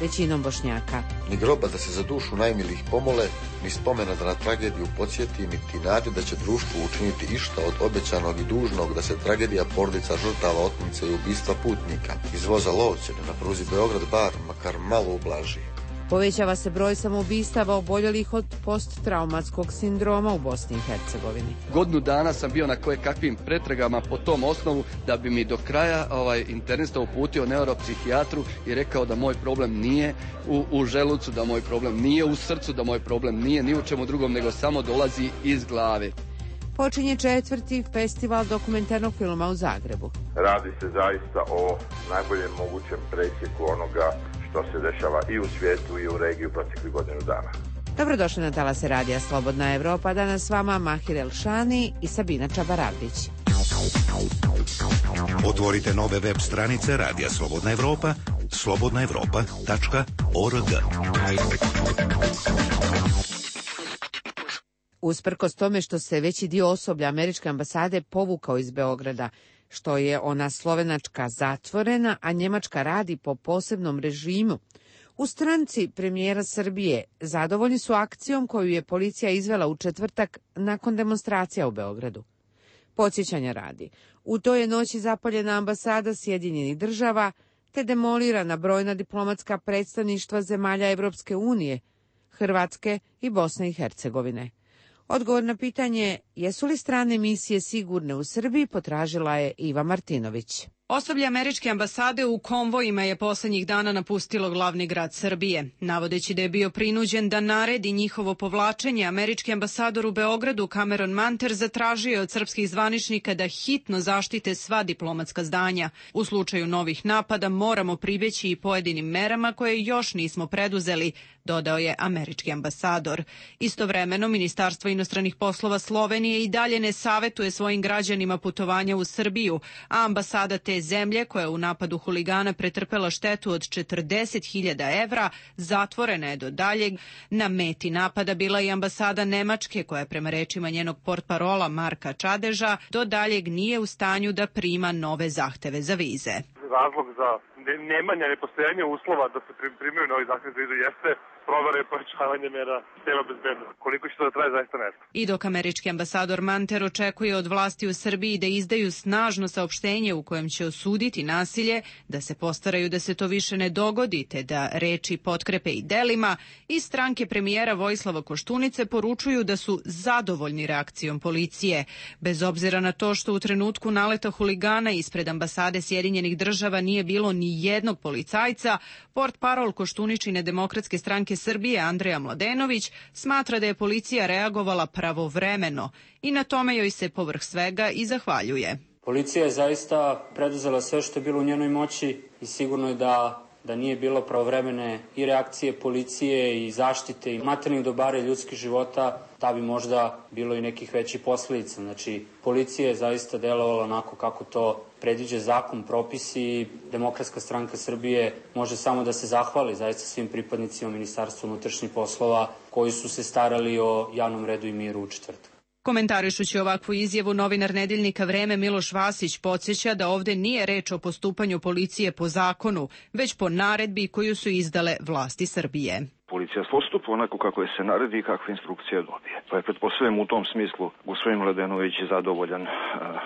većinom Bošnjaka. Ni groba da se za dušu najmilijih pomole, ni spomena da na tragediju podsjeti, niti nade da će društvo učiniti išta od obećanog i dužnog da se tragedija porodica žrtava otmice i ubistva putnika iz voza Lovćene na pruzi Beograd-Bar makar malo ublaži. Povećava se broj samoubistava oboljelih od posttraumatskog sindroma u Bosni i Hercegovini. Godinu dana sam bio na koje kakvim pretragama po tom osnovu da bi mi do kraja ovaj, internista uputio neuropsihijatru i rekao da moj problem nije u, u želucu, da moj problem nije u srcu, da moj problem nije ni u čemu drugom, nego samo dolazi iz glave. Počinje četvrti festival dokumentarnog filma u Zagrebu. Radi se zaista o najboljem mogućem presjeku onoga što se dešava i u svijetu i u regiji u proteklih godinu dana. Dobrodošli na talase radija Slobodna Evropa. Danas s vama Mahir Elšani i Sabina Čabaravdić. Otvorite nove web stranice Radija Slobodna Evropa, slobodna evropa tačka org. Usprkos tome što se veći dio osoblja američke ambasade povukao iz Beograda, što je ona slovenačka zatvorena, a njemačka radi po posebnom režimu, u stranci premijera Srbije zadovoljni su akcijom koju je policija izvela u četvrtak nakon demonstracija u Beogradu. Podsjećanja radi, u toj je noći zapaljena ambasada Sjedinjenih država te demolirana brojna diplomatska predstavništva zemalja Evropske unije, Hrvatske i Bosne i Hercegovine. Odgovor na pitanje jesu li strane misije sigurne u Srbiji potražila je Iva Martinović. Osoblje američke ambasade u konvojima je poslednjih dana napustilo glavni grad Srbije. Navodeći da je bio prinuđen da naredi njihovo povlačenje, američki ambasador u Beogradu Cameron Manter zatražio je od srpskih zvaničnika da hitno zaštite sva diplomatska zdanja. U slučaju novih napada moramo pribjeći i pojedinim merama koje još nismo preduzeli, dodao je američki ambasador. Istovremeno, Ministarstvo inostranih poslova Slovenije i dalje ne savetuje svojim građanima putovanja u Srbiju, a ambasada te zemlje, koja je u napadu huligana pretrpela štetu od četrdeset hiljada evra, zatvorena je do daljeg. Na meti napada bila i ambasada Nemačke, koja je prema rečima njenog portparola Marka Čadeža do daljeg nije u stanju da prima nove zahteve za vize. Razlog za nemanja, nepostojanja uslova da se primaju novi zahtjev za izdu jeste provera i pojačavanje mera tela bezbednosti. Koliko će to da traje, zaista ne znam. I dok američki ambasador Manter očekuje od vlasti u Srbiji da izdaju snažno saopštenje u kojem će osuditi nasilje, da se postaraju da se to više ne dogodi, te da reči potkrepe i delima, i stranke premijera Vojislava Koštunice poručuju da su zadovoljni reakcijom policije. Bez obzira na to što u trenutku naleta huligana ispred ambasade Sjedinjenih država nije bilo ni jednog policajca, portparol Koštuničine Demokratske stranke Srbije Andreja Mladenović smatra da je policija reagovala pravovremeno i na tome joj se povrh svega i zahvaljuje. Policija je zaista preduzela sve što je bilo u njenoj moći i sigurno je da da nije bilo pravovremene i reakcije policije i zaštite i materijalnih dobara i ljudskih života, da bi možda bilo i nekih većih posledica. Znači, policija je zaista delovala onako kako to predviđa zakon, propisi i Demokratska stranka Srbije može samo da se zahvali zaista svim pripadnicima Ministarstva unutrašnjih poslova koji su se starali o javnom redu i miru u četvrtak. Komentarišući ovakvu izjavu, novinar nedeljnika Vreme Miloš Vasić podsjeća da ovde nije reč o postupanju policije po zakonu, već po naredbi koju su izdale vlasti Srbije. Policija postupa onako kako je se naredi i kakve instrukcije dobije. Pa je pretpostavljam u tom smislu gospodin Mladenović je zadovoljan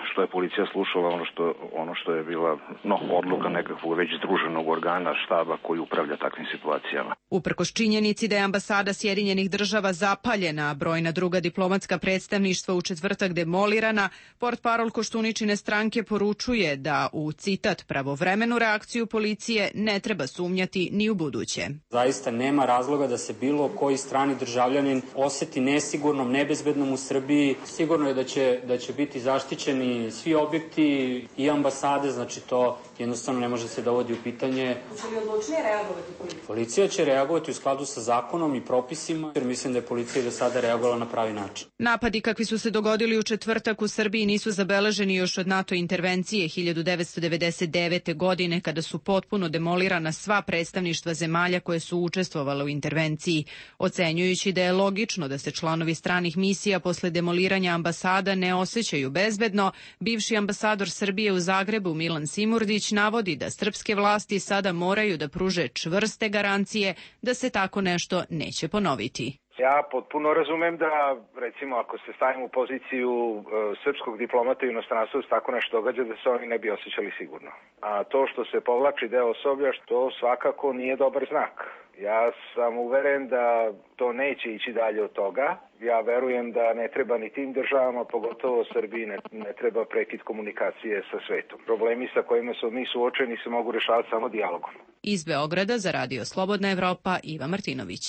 što je policija slušala ono što, ono što je bila no, odluka nekakvog već združenog organa štaba koji upravlja takvim situacijama. Uprkos činjenici da je ambasada Sjedinjenih država zapaljena, a brojna druga diplomatska predstavništva u četvrtak demolirana, portparol Koštuničine stranke poručuje da u, citat, pravovremenu reakciju policije ne treba sumnjati ni u buduće. Zaista nema razloga da se bilo koji strani državljanin oseti nesigurnom, nebezbednom u Srbiji. Sigurno je da će, da će biti zaštićeni svi objekti i ambasade, znači to jednostavno ne može se dovodi u pitanje. Hoće li odlučnije reagovati policija? Policija će reagovati u skladu sa zakonom i propisima, jer mislim da je policija do sada reagovala na pravi način. Napadi kakvi su se dogodili u četvrtak u Srbiji nisu zabeleženi još od NATO intervencije hiljadu devetsto devedeset devete. godine, kada su potpuno demolirana sva predstavništva zemalja koje su učestvovale u intervenciji. Ocenjujući da je logično da se članovi stranih misija posle demoliranja ambasada ne osjećaju bezbedno, bivši ambasador Srbije u Zagrebu Milan Simurdić navodi da srpske vlasti sada moraju da pruže čvrste garancije da se tako nešto neće ponoviti. Ja potpuno razumem da, recimo, ako se stavimo u poziciju e, srpskog diplomata u inostranstvu se tako nešto događa, da se oni ne bi osjećali sigurno. A to što se povlači deo osoblja, što svakako nije dobar znak. Ja sam uveren da to neće ići dalje od toga. Ja verujem da ne treba ni tim državama, pogotovo Srbiji, ne, ne treba prekid komunikacije sa svetom. Problemi sa kojima su mi suočeni se mogu rešavati samo dijalogom. Iz Beograda za Radio Slobodna Evropa, Iva Martinović.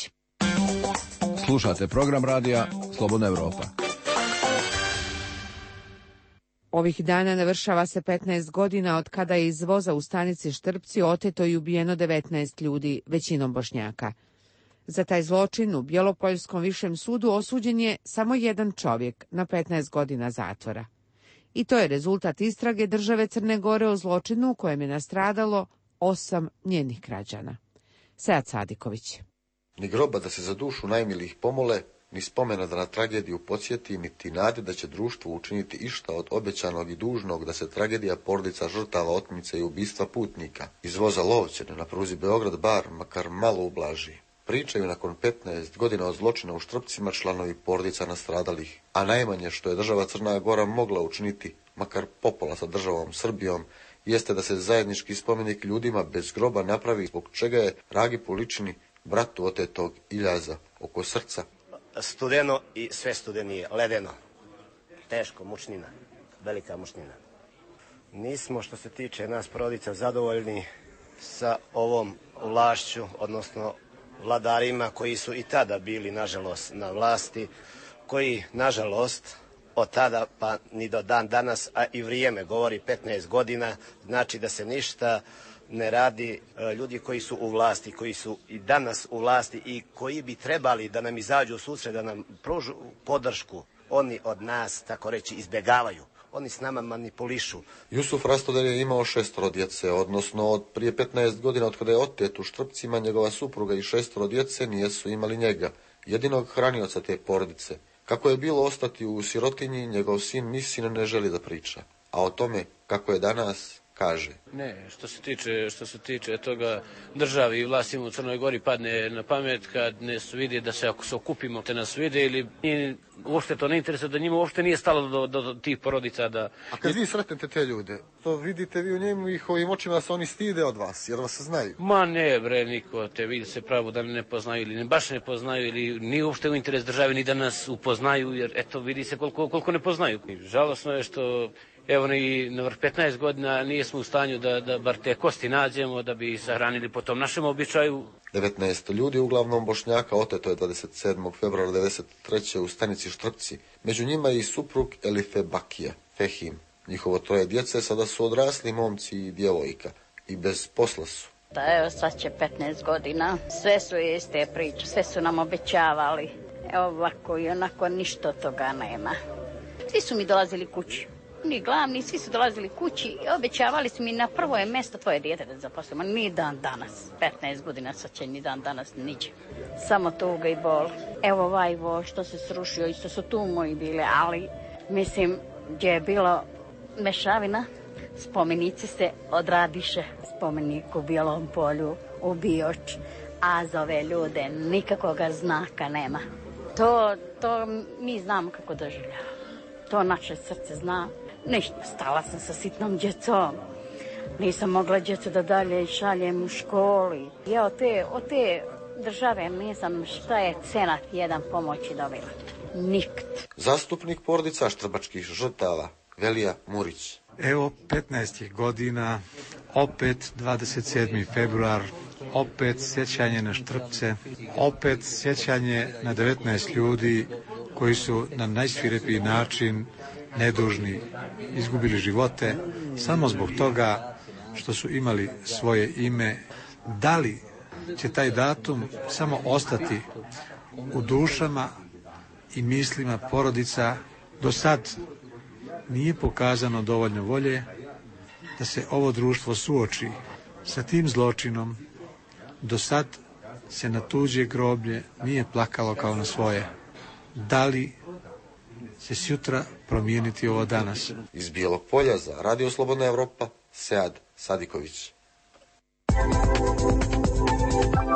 Slušate program radija Slobodna Evropa. Ovih dana navršava se petnaest godina od kada je iz voza u stanici Štrpci oteto i ubijeno devetnaest ljudi, većinom Bošnjaka. Za taj zločin u Bjelopoljskom višem sudu osuđen je samo jedan čovjek na petnaest godina zatvora. I to je rezultat istrage države Crne Gore o zločinu u kojem je nastradalo osam njenih građana. Sead Sadiković. Ni groba da se za dušu najmilijih pomole, ni spomena da na tragediju podsjeti, niti nade da će društvo učiniti išta od obećanog i dužnog da se tragedija porodica žrtava otmice i ubistva putnika iz voza Lovćene na pruzi Beograd-Bar makar malo ublaži. Pričaju nakon petnaest godina od zločina u Štrpcima članovi porodica nastradalih, a najmanje što je država Crna Gora mogla učiniti, makar popola sa državom Srbijom, jeste da se zajednički spomenik ljudima bez groba napravi, zbog čega je Ragi Poličini, bratu otetog Iljaza, oko srca. Studeno i sve studenije, ledeno. Teško, mučnina, velika mučnina. Nismo, što se tiče nas porodica, zadovoljni sa ovom vlašću, odnosno vladarima koji su i tada bili, nažalost, na vlasti, koji, nažalost, od tada pa ni do dan danas, a i vrijeme govori petnaest godina, znači da se ništa ne radi. Ljudi koji su u vlasti, koji su i danas u vlasti i koji bi trebali da nam izađu u susret, da nam pružu podršku, oni od nas, tako reći, izbjegavaju. Oni s nama manipulišu. Jusuf Rastoder je imao šestoro djece, odnosno od prije petnaest godina od kada je otet u Štrpcima, njegova supruga i šestoro djece nijesu imali njega, jedinog hranioca te porodice. Kako je bilo ostati u sirotinji, njegov sin Misin ne želi da priča. A o tome kako je danas, kaže. Ne, što se tiče, što se tiče toga državi i vlastima u Crnoj Gori padne na pamet kad ne vidi da se ako se okupimo te nas vide ili nije, uopšte to ne interesuje, da njima uopšte nije stalo do, do, do tih porodica. Da... A kad vi sretnete te ljude, to vidite vi u njemu i ovim očima da se oni stide od vas, jer vas znaju? Ma ne bre, niko te vidi se pravo da ne poznaju ili ne, baš ne poznaju ili nije uopšte u interes države ni da nas upoznaju, jer eto vidi se koliko, koliko ne poznaju. Žalosno je što evo i na vrh petnaest godina nismo u stanju da, da bar te kosti nađemo, da bi sahranili po tom našem običaju. devetnaest ljudi, uglavnom Bošnjaka, oteto je dvadeset sedmog februara devedeset treće u stanici Štrpci. Među njima je i suprug Elife Bakija, Fehim. Njihovo troje djece sada su odrasli momci i djevojka i bez posla su. Da, evo sad će petnaest godina, sve su iste priče, sve su nam obećavali. Evo ovako i onako ništa toga nema. Svi su mi dolazili kući. Ni glavni, svi su dolazili kući i obećavali su mi na prvo je mjesto tvoje dijete da zaposlimo. Ni dan danas, petnaest godina sad će ni dan danas niđe. Samo tuga i bol. Evo ovaj vo što se srušio, isto su tu moji bile, ali mislim gdje je bilo mešavina, spomenici se odradiše. Spomenik u Bijelom polju, u Bioč, a za ove ljude nikakvoga znaka nema. To, to mi znamo kako doživljava. To naše srce zna. Ništa, stala sam sa sitnom djecom. Nisam mogla djecu da dalje šaljem u školi. Ja od te, od te države nisam šta je cenat jedan pomoći dobila. Nikt. Zastupnik porodica štrbačkih žrtava, Velija Murić. Evo petnaest godina, opet dvadeset sedmi februar, opet sjećanje na Štrpce, opet sjećanje na devetnaest ljudi koji su na najsvirepiji način nedužni izgubili živote samo zbog toga što su imali svoje ime. Da li će taj datum samo ostati u dušama i mislima porodica? Do sad nije pokazano dovoljno volje da se ovo društvo suoči sa tim zločinom. Do sad se na tuđe groblje nije plakalo kao na svoje. Da li će sutra promijeniti ovo danas? Iz Bijelog polja za Radio Slobodna Evropa, Sead Sadiković.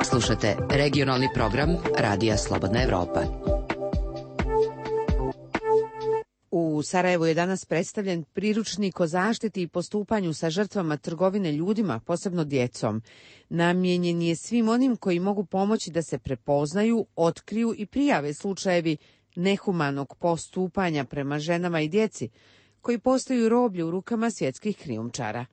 Slušate regionalni program Radija Slobodna Evropa. U Sarajevu je danas predstavljen priručnik o zaštiti i postupanju sa žrtvama trgovine ljudima, posebno djecom. Namijenjen je svim onim koji mogu pomoći da se prepoznaju, otkriju i prijave slučajevi nehumanog postupanja prema ženama i djeci, koji postaju roblje u rukama svjetskih krijumčara.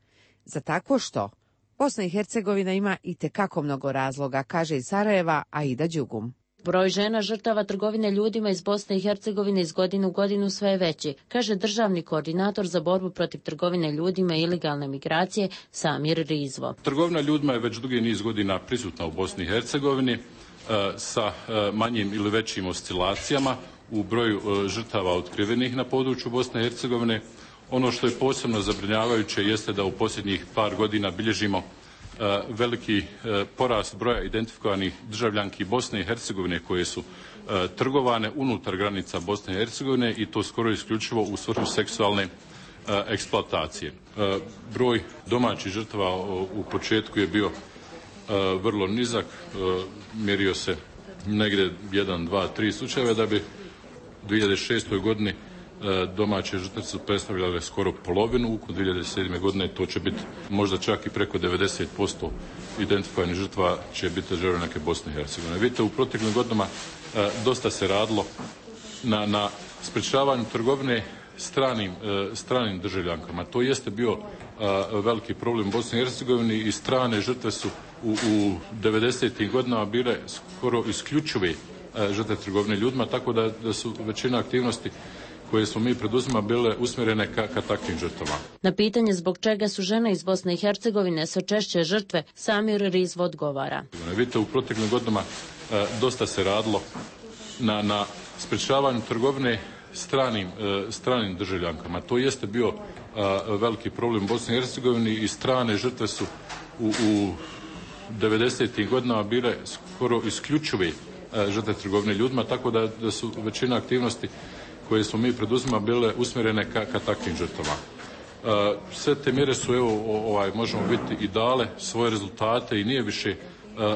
Za takvo što? Bosna i Hercegovina ima itekako mnogo razloga, kaže iz Sarajeva Aida Đugum. Broj žena žrtava trgovine ljudima iz Bosne i Hercegovine iz godine u godinu sve je veći, kaže državni koordinator za borbu protiv trgovine ljudima i ilegalne migracije Samir Rizvo. Trgovina ljudima je već dugi niz godina prisutna u Bosni i Hercegovini sa manjim ili većim oscilacijama u broju žrtava otkrivenih na području Bosne i Hercegovine. Ono što je posebno zabrinjavajuće jeste da u posljednjih par godina bilježimo veliki porast broja identifikovanih državljanki Bosne i Hercegovine koje su trgovane unutar granica Bosne i Hercegovine i to skoro isključivo u svrhu seksualne eksploatacije. Broj domaćih žrtava u početku je bio vrlo nizak, mjerio se negdje jedan, dva, tri slučajeva, da bi u dvije hiljade šestoj godini domaće žrtve su predstavljale skoro polovinu, u dvije hiljade sedme godine to će biti možda čak i preko devedeset posto identifikovanih žrtva će biti državljanke Bosne i Hercegovine. Vidite, u proteklim godinama dosta se radilo na, na sprečavanju trgovine stranim, stranim državljankama. To jeste bio veliki problem u Bosni i Hercegovini i strane žrtve su u, u devedesetim godinama bile skoro isključive žrtve trgovine ljudima, tako da, da su većina aktivnosti koje smo mi preduzimali bile usmjerene ka, ka takvim žrtvama. Na pitanje zbog čega su žene iz Bosne i Hercegovine sve češće žrtve, Samir Rizvo odgovara. Vidite, u proteklim godinama e, dosta se radilo na, na sprečavanju trgovine stranim, e, stranim državljankama. To jeste bio a, veliki problem u Bosni i Hercegovini i strane žrtve su u, u devedesetim godinama bile skoro isključive žrtve trgovine ljudima, tako da, da su većina aktivnosti koje smo mi preduzimali bile usmjerene ka, ka takvim žrtvama. Sve te mjere su, evo, ovaj, možemo vidjeti, i dale svoje rezultate i nije više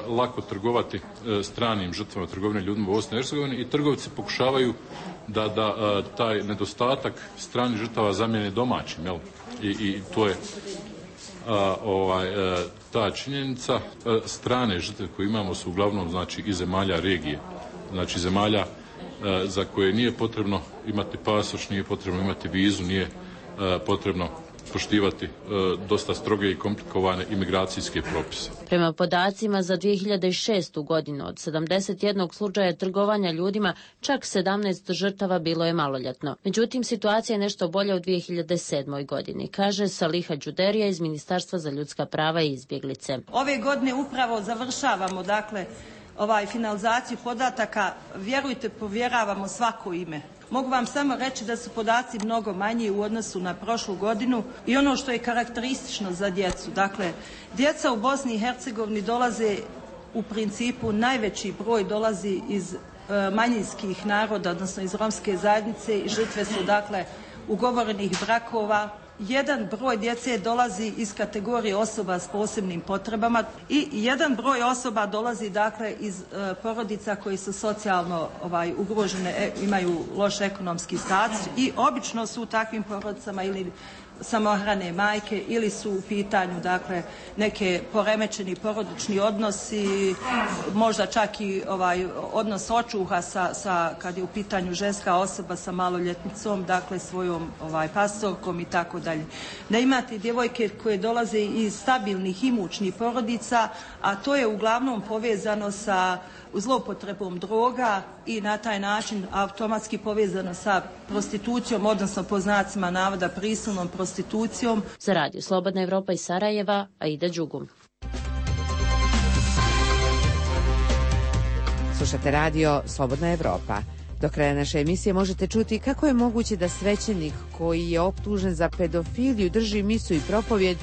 lako trgovati stranim žrtvama trgovine ljudima u Bosni i Hercegovini i trgovci pokušavaju da, da taj nedostatak stranih žrtava zamijene domaćim, jel? I, i to je a, ovaj, a, ta činjenica. A, strane žrtve koje imamo su uglavnom, znači, iz zemalja regije, znači zemalja a, za koje nije potrebno imati pasoš, nije potrebno imati vizu, nije a, potrebno poštivati e, dosta stroge i komplikovane imigracijske propise. Prema podacima za dvije hiljade šestu godinu od sedamdeset jednog slučaja trgovanja ljudima, čak sedamnaest žrtava bilo je maloljetno. Međutim, situacija je nešto bolja u dvije hiljade sedmoj godini, kaže Saliha Đuderija iz Ministarstva za ljudska prava i izbjeglice. Ove godine upravo završavamo, dakle, ovaj finalizaciju podataka, vjerujte, povjeravamo svako ime. Mogu vam samo reći da su podaci mnogo manji u odnosu na prošlu godinu i ono što je karakteristično za djecu. Dakle, djeca u Bosni i Hercegovini dolaze u principu, najveći broj dolazi iz e, manjinskih naroda, odnosno iz romske zajednice i žrtve su, dakle, ugovorenih brakova. Jedan broj djece dolazi iz kategorije osoba s posebnim potrebama i jedan broj osoba dolazi, dakle, iz e, porodica koji su socijalno ovaj, ugrožene, e, imaju loš ekonomski status i obično su u takvim porodicama ili samohrane majke ili su u pitanju, dakle, neke poremećeni porodični odnosi, možda čak i ovaj odnos očuha sa, sa kad je u pitanju ženska osoba sa maloljetnicom, dakle svojom ovaj pastorkom i tako dalje. Da imate djevojke koje dolaze iz stabilnih imućnih porodica, a to je uglavnom povezano sa zloupotrebom droga i na taj način automatski povezano sa prostitucijom, odnosno po znacima navoda prisilnom prostitucijom. Za Radio Slobodna Evropa iz Sarajeva, Aida Đugum. Slušate radio Slobodna Evropa. Do kraja naše emisije možete čuti kako je moguće da svećenik koji je optužen za pedofiliju drži misu i propovjed,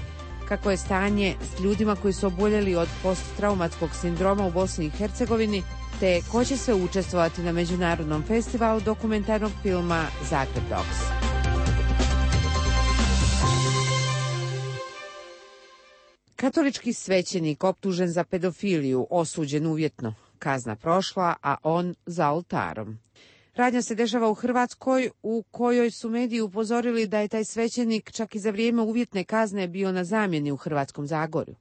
kako je stanje s ljudima koji su oboljeli od posttraumatskog sindroma u Bosni i Hercegovini, te ko će sve učestvovati na međunarodnom festivalu dokumentarnog filma Zagreb Docs. Katolički svećenik optužen za pedofiliju, osuđen uvjetno, kazna prošla, a on za oltarom. Radnja se dešava u Hrvatskoj, u kojoj su mediji upozorili da je taj svećenik čak i za vrijeme uvjetne kazne bio na zamjeni u Hrvatskom Zagorju.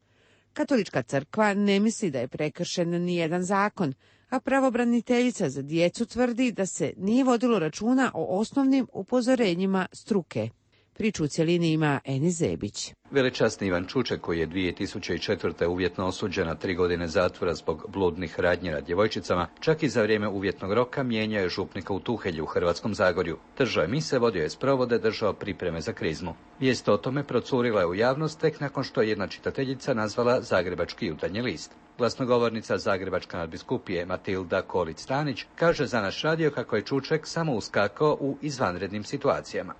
Katolička crkva ne misli da je prekršen ni jedan zakon, a pravobraniteljica za djecu tvrdi da se nije vodilo računa o osnovnim upozorenjima struke. Priču u cjelini ima Eni Zebić. Velečasni Ivan Čuček, koji je dvije tisuće četvrte uvjetno osuđen na tri godine zatvora zbog bludnih radnji nad djevojčicama, čak i za vrijeme uvjetnog roka mijenjao je župnika u Tuhelju u Hrvatskom Zagorju. Držao je mise, vodio je sprovode, držao pripreme za krizmu. Vijest o tome procurila je u javnost tek nakon što je jedna čitateljica nazvala Zagrebački jutarnji list. Glasnogovornica Zagrebačka nadbiskupije Matilda Kolić-Stanić kaže za naš radio kako je Čuček samo uskakao u izvanrednim situacijama.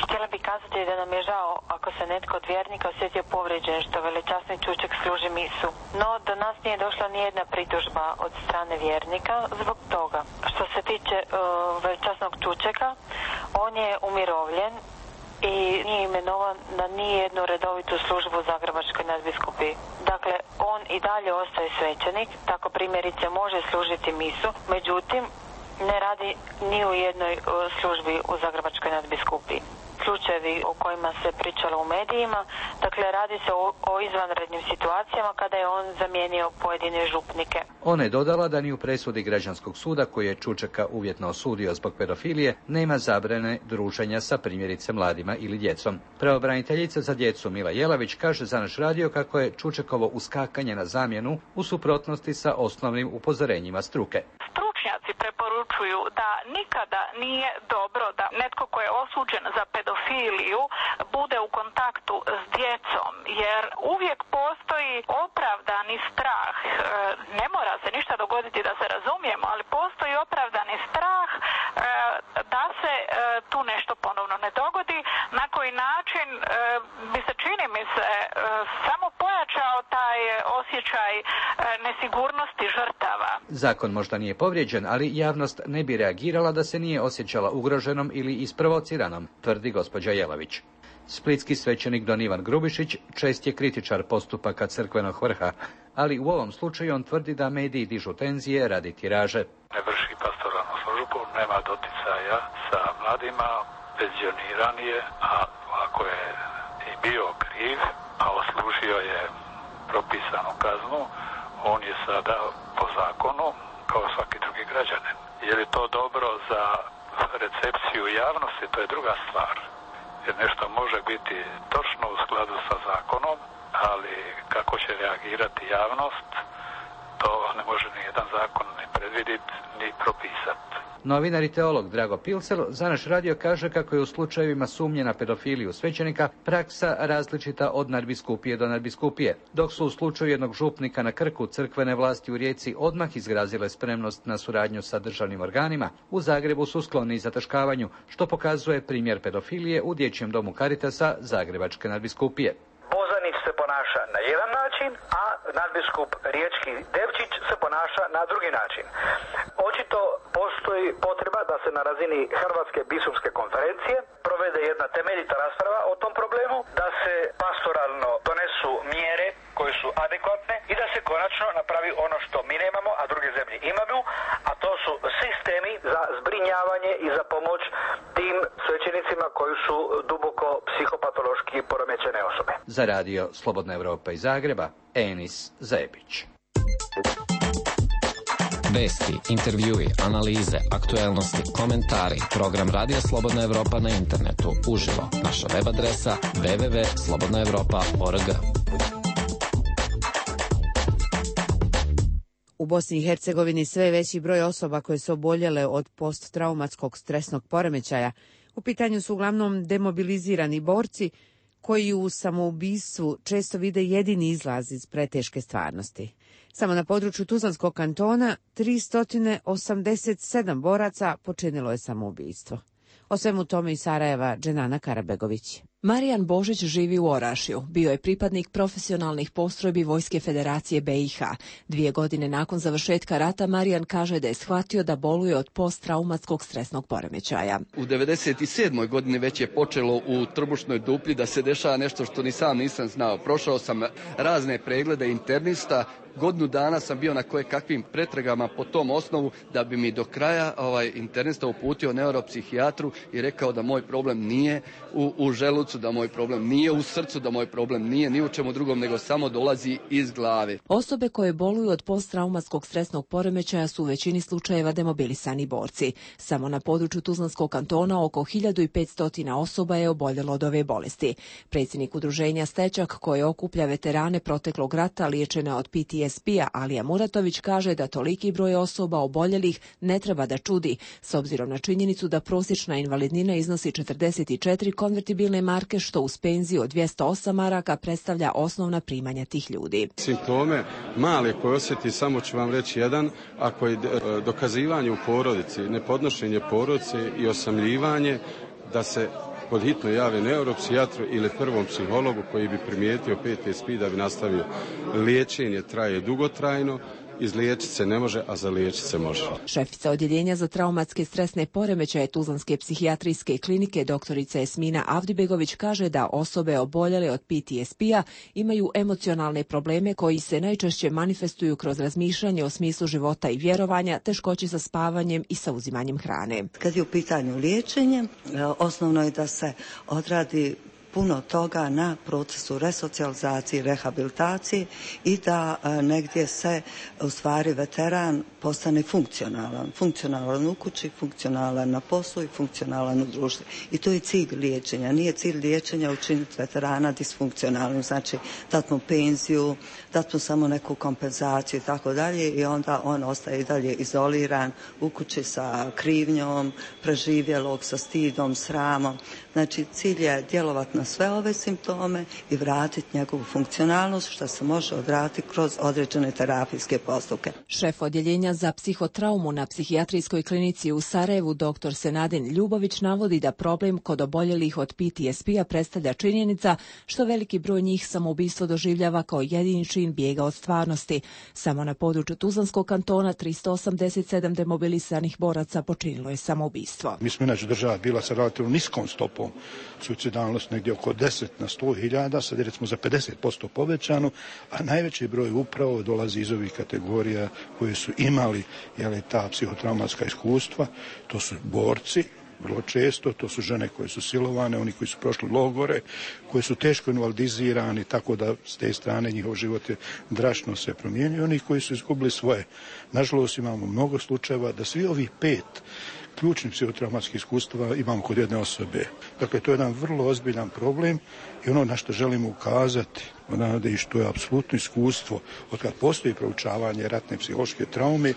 Htjela bih kazati da nam je žao ako se netko od vjernika osjetio povrijeđen što velečasni Čuček služi misu. No, do nas nije došla nijedna pritužba od strane vjernika zbog toga. Što se tiče uh, velečasnog Čučeka, on je umirovljen i nije imenovan na nijednu redovitu službu u Zagrebačkoj nadbiskupiji. Dakle, on i dalje ostaje svećenik, tako primjerice može služiti misu, međutim, ne radi ni u jednoj službi u Zagrebačkoj nadbiskupiji. Slučajevi o kojima se pričalo u medijima, dakle radi se o, o izvanrednim situacijama kada je on zamijenio pojedine župnike. Ona je dodala da ni u presudi građanskog suda koji je Čučeka uvjetno osudio zbog pedofilije nema zabrane druženja sa primjerice mladima ili djecom. Pravobraniteljica za djecu Mila Jelavić kaže za naš radio kako je Čučekovo uskakanje na zamjenu u suprotnosti sa osnovnim upozorenjima struke. Stručnjaci preporučuju da nikada nije dobro da netko ko je osuđen za pedofiliju bude u kontaktu s djecom, jer uvijek postoji opravdani strah. Ne mora se ništa dogoditi da se razumijemo, ali postoji opravdani strah da se tu nešto ponovno ne dogodi, na koji način bi se, čini mi se, samo pojačao taj osjećaj nesigurnosti žrtava. Zakon možda nije povrijeđen, ali javnost ne bi reagirala da se nije osjećala ugroženom ili isprovociranom, tvrdi gospođa Jelavić. Splitski svećenik don Ivan Grubišić čest je kritičar postupaka crkvenog vrha, ali u ovom slučaju on tvrdi da mediji dižu tenzije radi tiraže. Ne vrši pastoralnu službu, nema doticaja sa mladima, penzioniran je, a ako je i bio kriv, a oslužio je propisanu kaznu, on je sada po zakonu kao svaki drugi građanin. Je li to dobro za recepciju javnosti, to je druga stvar. Jer nešto može biti točno u skladu sa zakonom, ali kako će reagirati javnost, to ne može ni jedan zakon ni predvidjeti, ni propisati. Novinar i teolog Drago Pilsel za naš radio kaže kako je u slučajevima sumnje na pedofiliju svećenika praksa različita od nadbiskupije do nadbiskupije. Dok su u slučaju jednog župnika na Krku crkvene vlasti u Rijeci odmah izrazile spremnost na suradnju sa državnim organima, u Zagrebu su skloni zataškavanju, što pokazuje primjer pedofilije u dječjem domu Caritasa Zagrebačke nadbiskupije. Bozanić se ponaša na jedan način, a nadbiskup riječki Devčić se ponaša na drugi način. Očito postoji potreba da se na razini Hrvatske biskupske konferencije provede jedna temeljita rasprava o tom problemu, da se pastoralno donesu mjere koje su adekvatne i da se konačno napravi ono što mi nemamo, a druge zemlje imaju, a to su sistemi za zbrinjavanje i za pomoć tim svećenicima koji su duboko psihopatološki poremećene osobe. Za radio Slobodna Evropa iz Zagreba, Enis Zebić. Vesti, intervjui, analize, aktuelnosti, komentari. Program Radija Slobodna Evropa na internetu. Uživo. Naša web adresa w w w tačka slobodna evropa tačka org. U Bosni i Hercegovini sve veći broj osoba koje su oboljele od posttraumatskog stresnog poremećaja. U pitanju su uglavnom demobilizirani borci koji u samoubistvu često vide jedini izlaz iz preteške stvarnosti. Samo na području Tuzlanskog kantona tristo osamdeset sedam boraca počinilo je samoubistvo. O svemu tome iz Sarajeva Dženana Karabegović. Marijan Božić živi u Orašju. Bio je pripadnik profesionalnih postrojbi Vojske Federacije B i H. Dvije godine nakon završetka rata Marijan kaže da je shvatio da boluje od posttraumatskog stresnog poremećaja. U devedeset sedmoj godini već je počelo u trbušnoj duplji da se dešava nešto što ni sam nisam znao. Prošao sam razne preglede internista, godinu dana sam bio na koje kakvim pretragama po tom osnovu da bi mi do kraja ovaj internista uputio neuropsihijatru i rekao da moj problem nije u, u želucu, da moj problem nije u srcu, da moj problem nije ni u čemu drugom, nego samo dolazi iz glave. Osobe koje boluju od posttraumatskog stresnog poremećaja su u većini slučajeva demobilisani borci. Samo na području Tuzlanskog kantona oko hiljadu petsto osoba je oboljelo od ove bolesti. Predsjednik udruženja Stečak, koje okuplja veterane proteklog rata liječene od P T S D-a, Alija Muratović, kaže da toliki broj osoba oboljelih ne treba da čudi, s obzirom na činjenicu da prosječna invalidnina iznosi četrdeset četiri konvertibilne marke, što uz penziju od dvjesto osam maraka predstavlja osnovna primanja tih ljudi. Simptome male koje osjeti, samo ću vam reći jedan, ako je dokazivanje u porodici, nepodnošenje porodice i osamljivanje, da se pod hitno jave neuropsijatru ili prvom psihologu koji bi primijetio P T S D da bi nastavio. Liječenje traje dugotrajno, izliječiti se ne može, a zaliječiti se može. Šefica odjeljenja za traumatske stresne poremećaje Tuzlanske psihijatrijske klinike doktorica Esmina Avdibegović kaže da osobe oboljele od P T S D-a imaju emocionalne probleme koji se najčešće manifestuju kroz razmišljanje o smislu života i vjerovanja, teškoće sa spavanjem i sa uzimanjem hrane. Kad je u pitanju liječenje, osnovno je da se odradi puno toga na procesu resocijalizacije, rehabilitacije i da a, negdje se u stvari veteran postane funkcionalan. Funkcionalan u kući, funkcionalan na poslu i funkcionalan u društvu. I to je cilj liječenja. Nije cilj liječenja učiniti veterana disfunkcionalnim, znači dati mu penziju, dati mu samo neku kompenzaciju i tako dalje i onda on ostaje i dalje izoliran u kući sa krivnjom, preživjelog, sa stidom, sramom. Znači cilj je djelovati na sve ove simptome i vratiti njegovu funkcionalnost, što se može odraditi kroz određene terapijske postupke. Šef odjeljenja za psihotraumu na psihijatrijskoj klinici u Sarajevu, doktor Senadin Ljubović, navodi da problem kod oboljelih od P T S D-a predstavlja činjenica što veliki broj njih samoubistvo doživljava kao jedini čin bijega od stvarnosti. Samo na području Tuzlanskog kantona tristo osamdeset sedam demobilisanih boraca počinilo je samoubistvo. Mi smo inače država bila sa relativno niskom stopom suicidalnosti, negdje negdje oko deset na sto hiljada, sad je recimo za pedeset posto povećano, a najveći broj upravo dolazi iz ovih kategorija koje su imali jeli, ta psihotraumatska iskustva, to su borci, vrlo često, to su žene koje su silovane, oni koji su prošli logore, koji su teško invalidizirani, tako da s te strane njihov život je drastično se promijenio, oni koji su izgubili svoje. Nažalost imamo mnogo slučajeva da svi ovih pet ključnih psihotraumatskih iskustava imamo kod jedne osobe. Dakle, to je jedan vrlo ozbiljan problem i ono na što želimo ukazati, odavde i što je apsolutno iskustvo od kad postoji proučavanje ratne psihološke traume,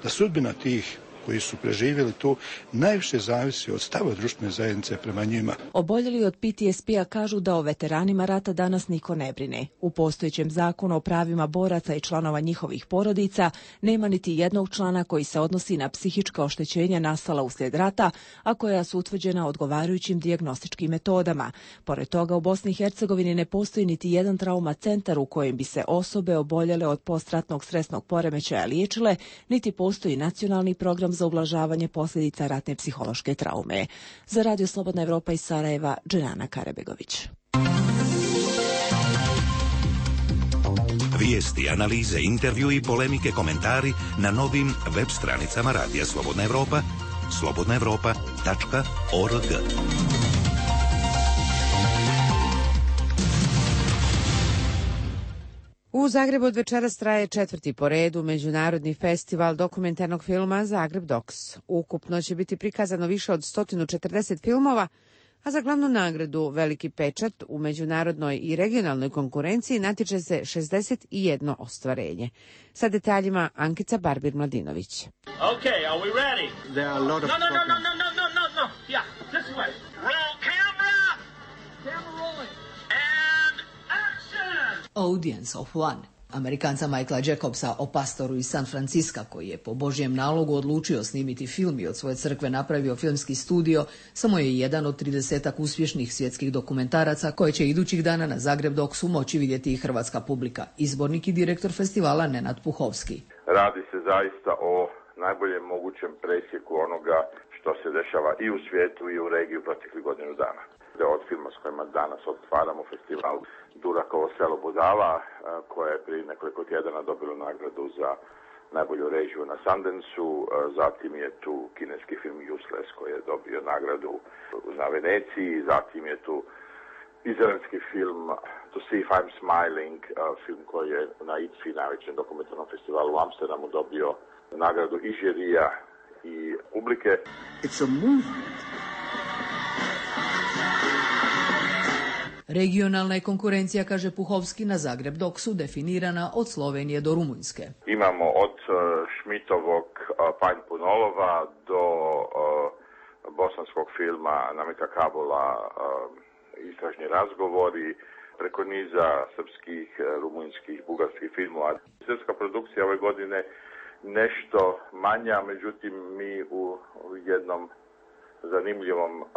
da sudbina tih koji su preživjeli to najviše zavisi od stava društvene zajednice prema njima. Oboljeli od P T S P-a kažu da o veteranima rata danas niko ne brine. U postojećem zakonu o pravima boraca i članova njihovih porodica nema niti jednog člana koji se odnosi na psihička oštećenja nastala uslijed rata, a koja su utvrđena odgovarajućim dijagnostičkim metodama. Pored toga, u Bosni i Hercegovini ne postoji niti jedan trauma centar u kojem bi se osobe oboljele od postratnog stresnog poremećaja liječile, niti postoji nacionalni program za ublažavanje posljedica ratne psihološke traume. Za Radio Slobodna Evropa iz Sarajeva, Dženana Karebegović. Vijesti, analize, intervju i polemike, komentari na novim web stranicama Radija Slobodna Evropa, slobodna evropa tačka org. U Zagrebu od večeras traje četvrti po redu Međunarodni festival dokumentarnog filma Zagreb Docs. Ukupno će biti prikazano više od sto četrdeset filmova, a za glavnu nagradu Veliki pečat u međunarodnoj i regionalnoj konkurenciji natječe se šezdeset jedno ostvarenje. Sa detaljima Ankica Barbir-Mladinović. Okay, are we ready? There are a lot of No, no, no, no, no, no, no, no, no. Yeah, this way. Roll camera. Camera rolling. And action. Audience of One, Amerikanca Michaela Jacobsa o pastoru iz San Francisca koji je po Božjem nalogu odlučio snimiti film i od svoje crkve napravio filmski studio, samo je jedan od tridesetak uspješnih svjetskih dokumentaraca koje će idućih dana na Zagreb Docsu moći vidjeti i hrvatska publika. Izbornik i direktor festivala Nenad Puhovski. Radi se zaista o najboljem mogućem presjeku onoga što se dešava i u svijetu i u regiji u proteklih godinu dana. Od filma s kojima danas otvaramo festival Durakovo selo Budala, koje je prije nekoliko tjedana dobilo nagradu za najbolju režiju na Sundance-u. Zatim je tu kineski film Useless koji je dobio nagradu na Veneciji. Zatim je tu izraelski film To See If I'm Smiling, film koji je na I T F I, najvećem dokumentarnom festivalu u Amsterdamu, dobio nagradu i žirija i publike. It's a movement. Regionalna je konkurencija, kaže Puhovski, na Zagreb Docsu definirana od Slovenije do Rumunjske. Imamo od Šmitovog Panj Punolova do bosanskog filma Namita Kabula Istražni razgovori, preko niza srpskih, rumunjskih, bugarskih filmova. Srpska produkcija ove godine nešto manja, međutim mi u jednom zanimljivom uh,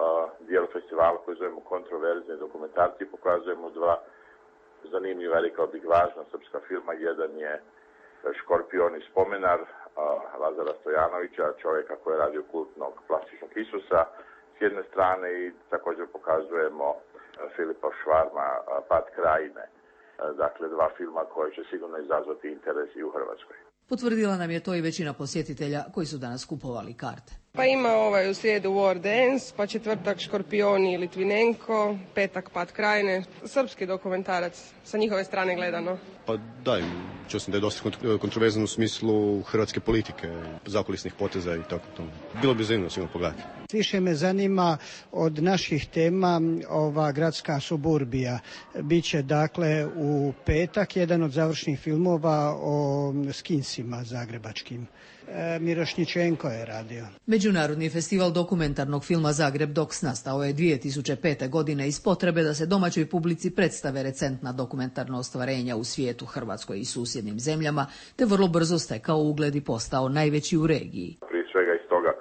dijelu festivala koji zovemo kontroverzne dokumentarci pokazujemo dva zanimljiva, rekao bih, važna srpska filma. Jedan je Škorpion i spomenar uh, Lazara Stojanovića, čovjeka koji je radio kultnog plastičnog Isusa s jedne strane, i također pokazujemo uh, Filipa Švarma uh, Pad krajine. Uh, dakle, dva filma koji će sigurno izazvati interes i u Hrvatskoj. Potvrdila nam je to i većina posjetitelja koji su danas kupovali karte. Pa ima ovaj u srijedu War Dance, pa četvrtak Škorpioni i Litvinenko, petak Pad krajine, srpski dokumentarac sa njihove strane gledano. Pa da, čuo sam da je dosta kontroverzan u smislu hrvatske politike, zakulisnih poteza i tako to. Bilo bi zanimljivo sigurno pogledati. Više me zanima od naših tema ova gradska suburbija. Biće dakle u petak jedan od završnih filmova o skinsima zagrebačkim. Mirošničenko je radio. Međunarodni festival dokumentarnog filma Zagreb Docs nastao je dvije tisuće pete. godine iz potrebe da se domaćoj publici predstave recentna dokumentarna ostvarenja u svijetu, Hrvatskoj i susjednim zemljama, te vrlo brzo stekao ugled i postao najveći u regiji. Prije svega iz toga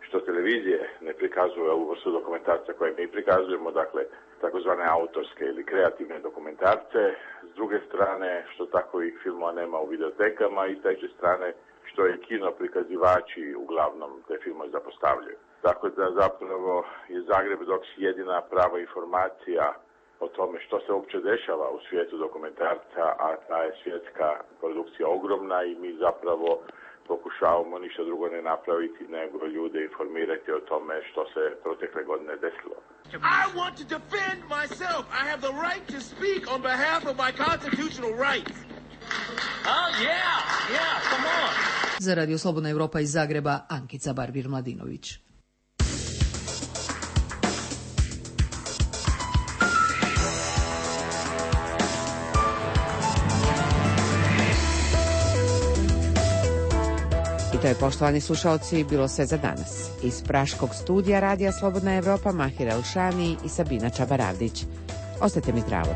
što televizije ne prikazuje ovu vrstu dokumentarca koje mi prikazujemo, dakle takozvane autorske ili kreativne dokumentarce, s druge strane što takovih filmova nema u videotekama i s treće strane što je kino prikazivači uglavnom te filmove zapostavljaju. Tako da zapravo je Zagreb Docs jedina prava informacija o tome što se uopće dešava u svijetu dokumentarca, a ta je svjetska produkcija ogromna i mi zapravo pokušavamo ništa drugo ne napraviti nego ljude informirati o tome što se protekle godine desilo. I want to defend myself. I have the right to speak on behalf of my constitutional rights. Oh yeah, yeah, come on. Za Radio Slobodna Evropa iz Zagreba, Ankica Barbir-Mladinović. To je, poštovani slušalci, bilo sve za danas. Iz praškog studija Radija Slobodna Evropa, Mahir Elšani i Sabina Čabaravdić. Ostajte mi zdravo.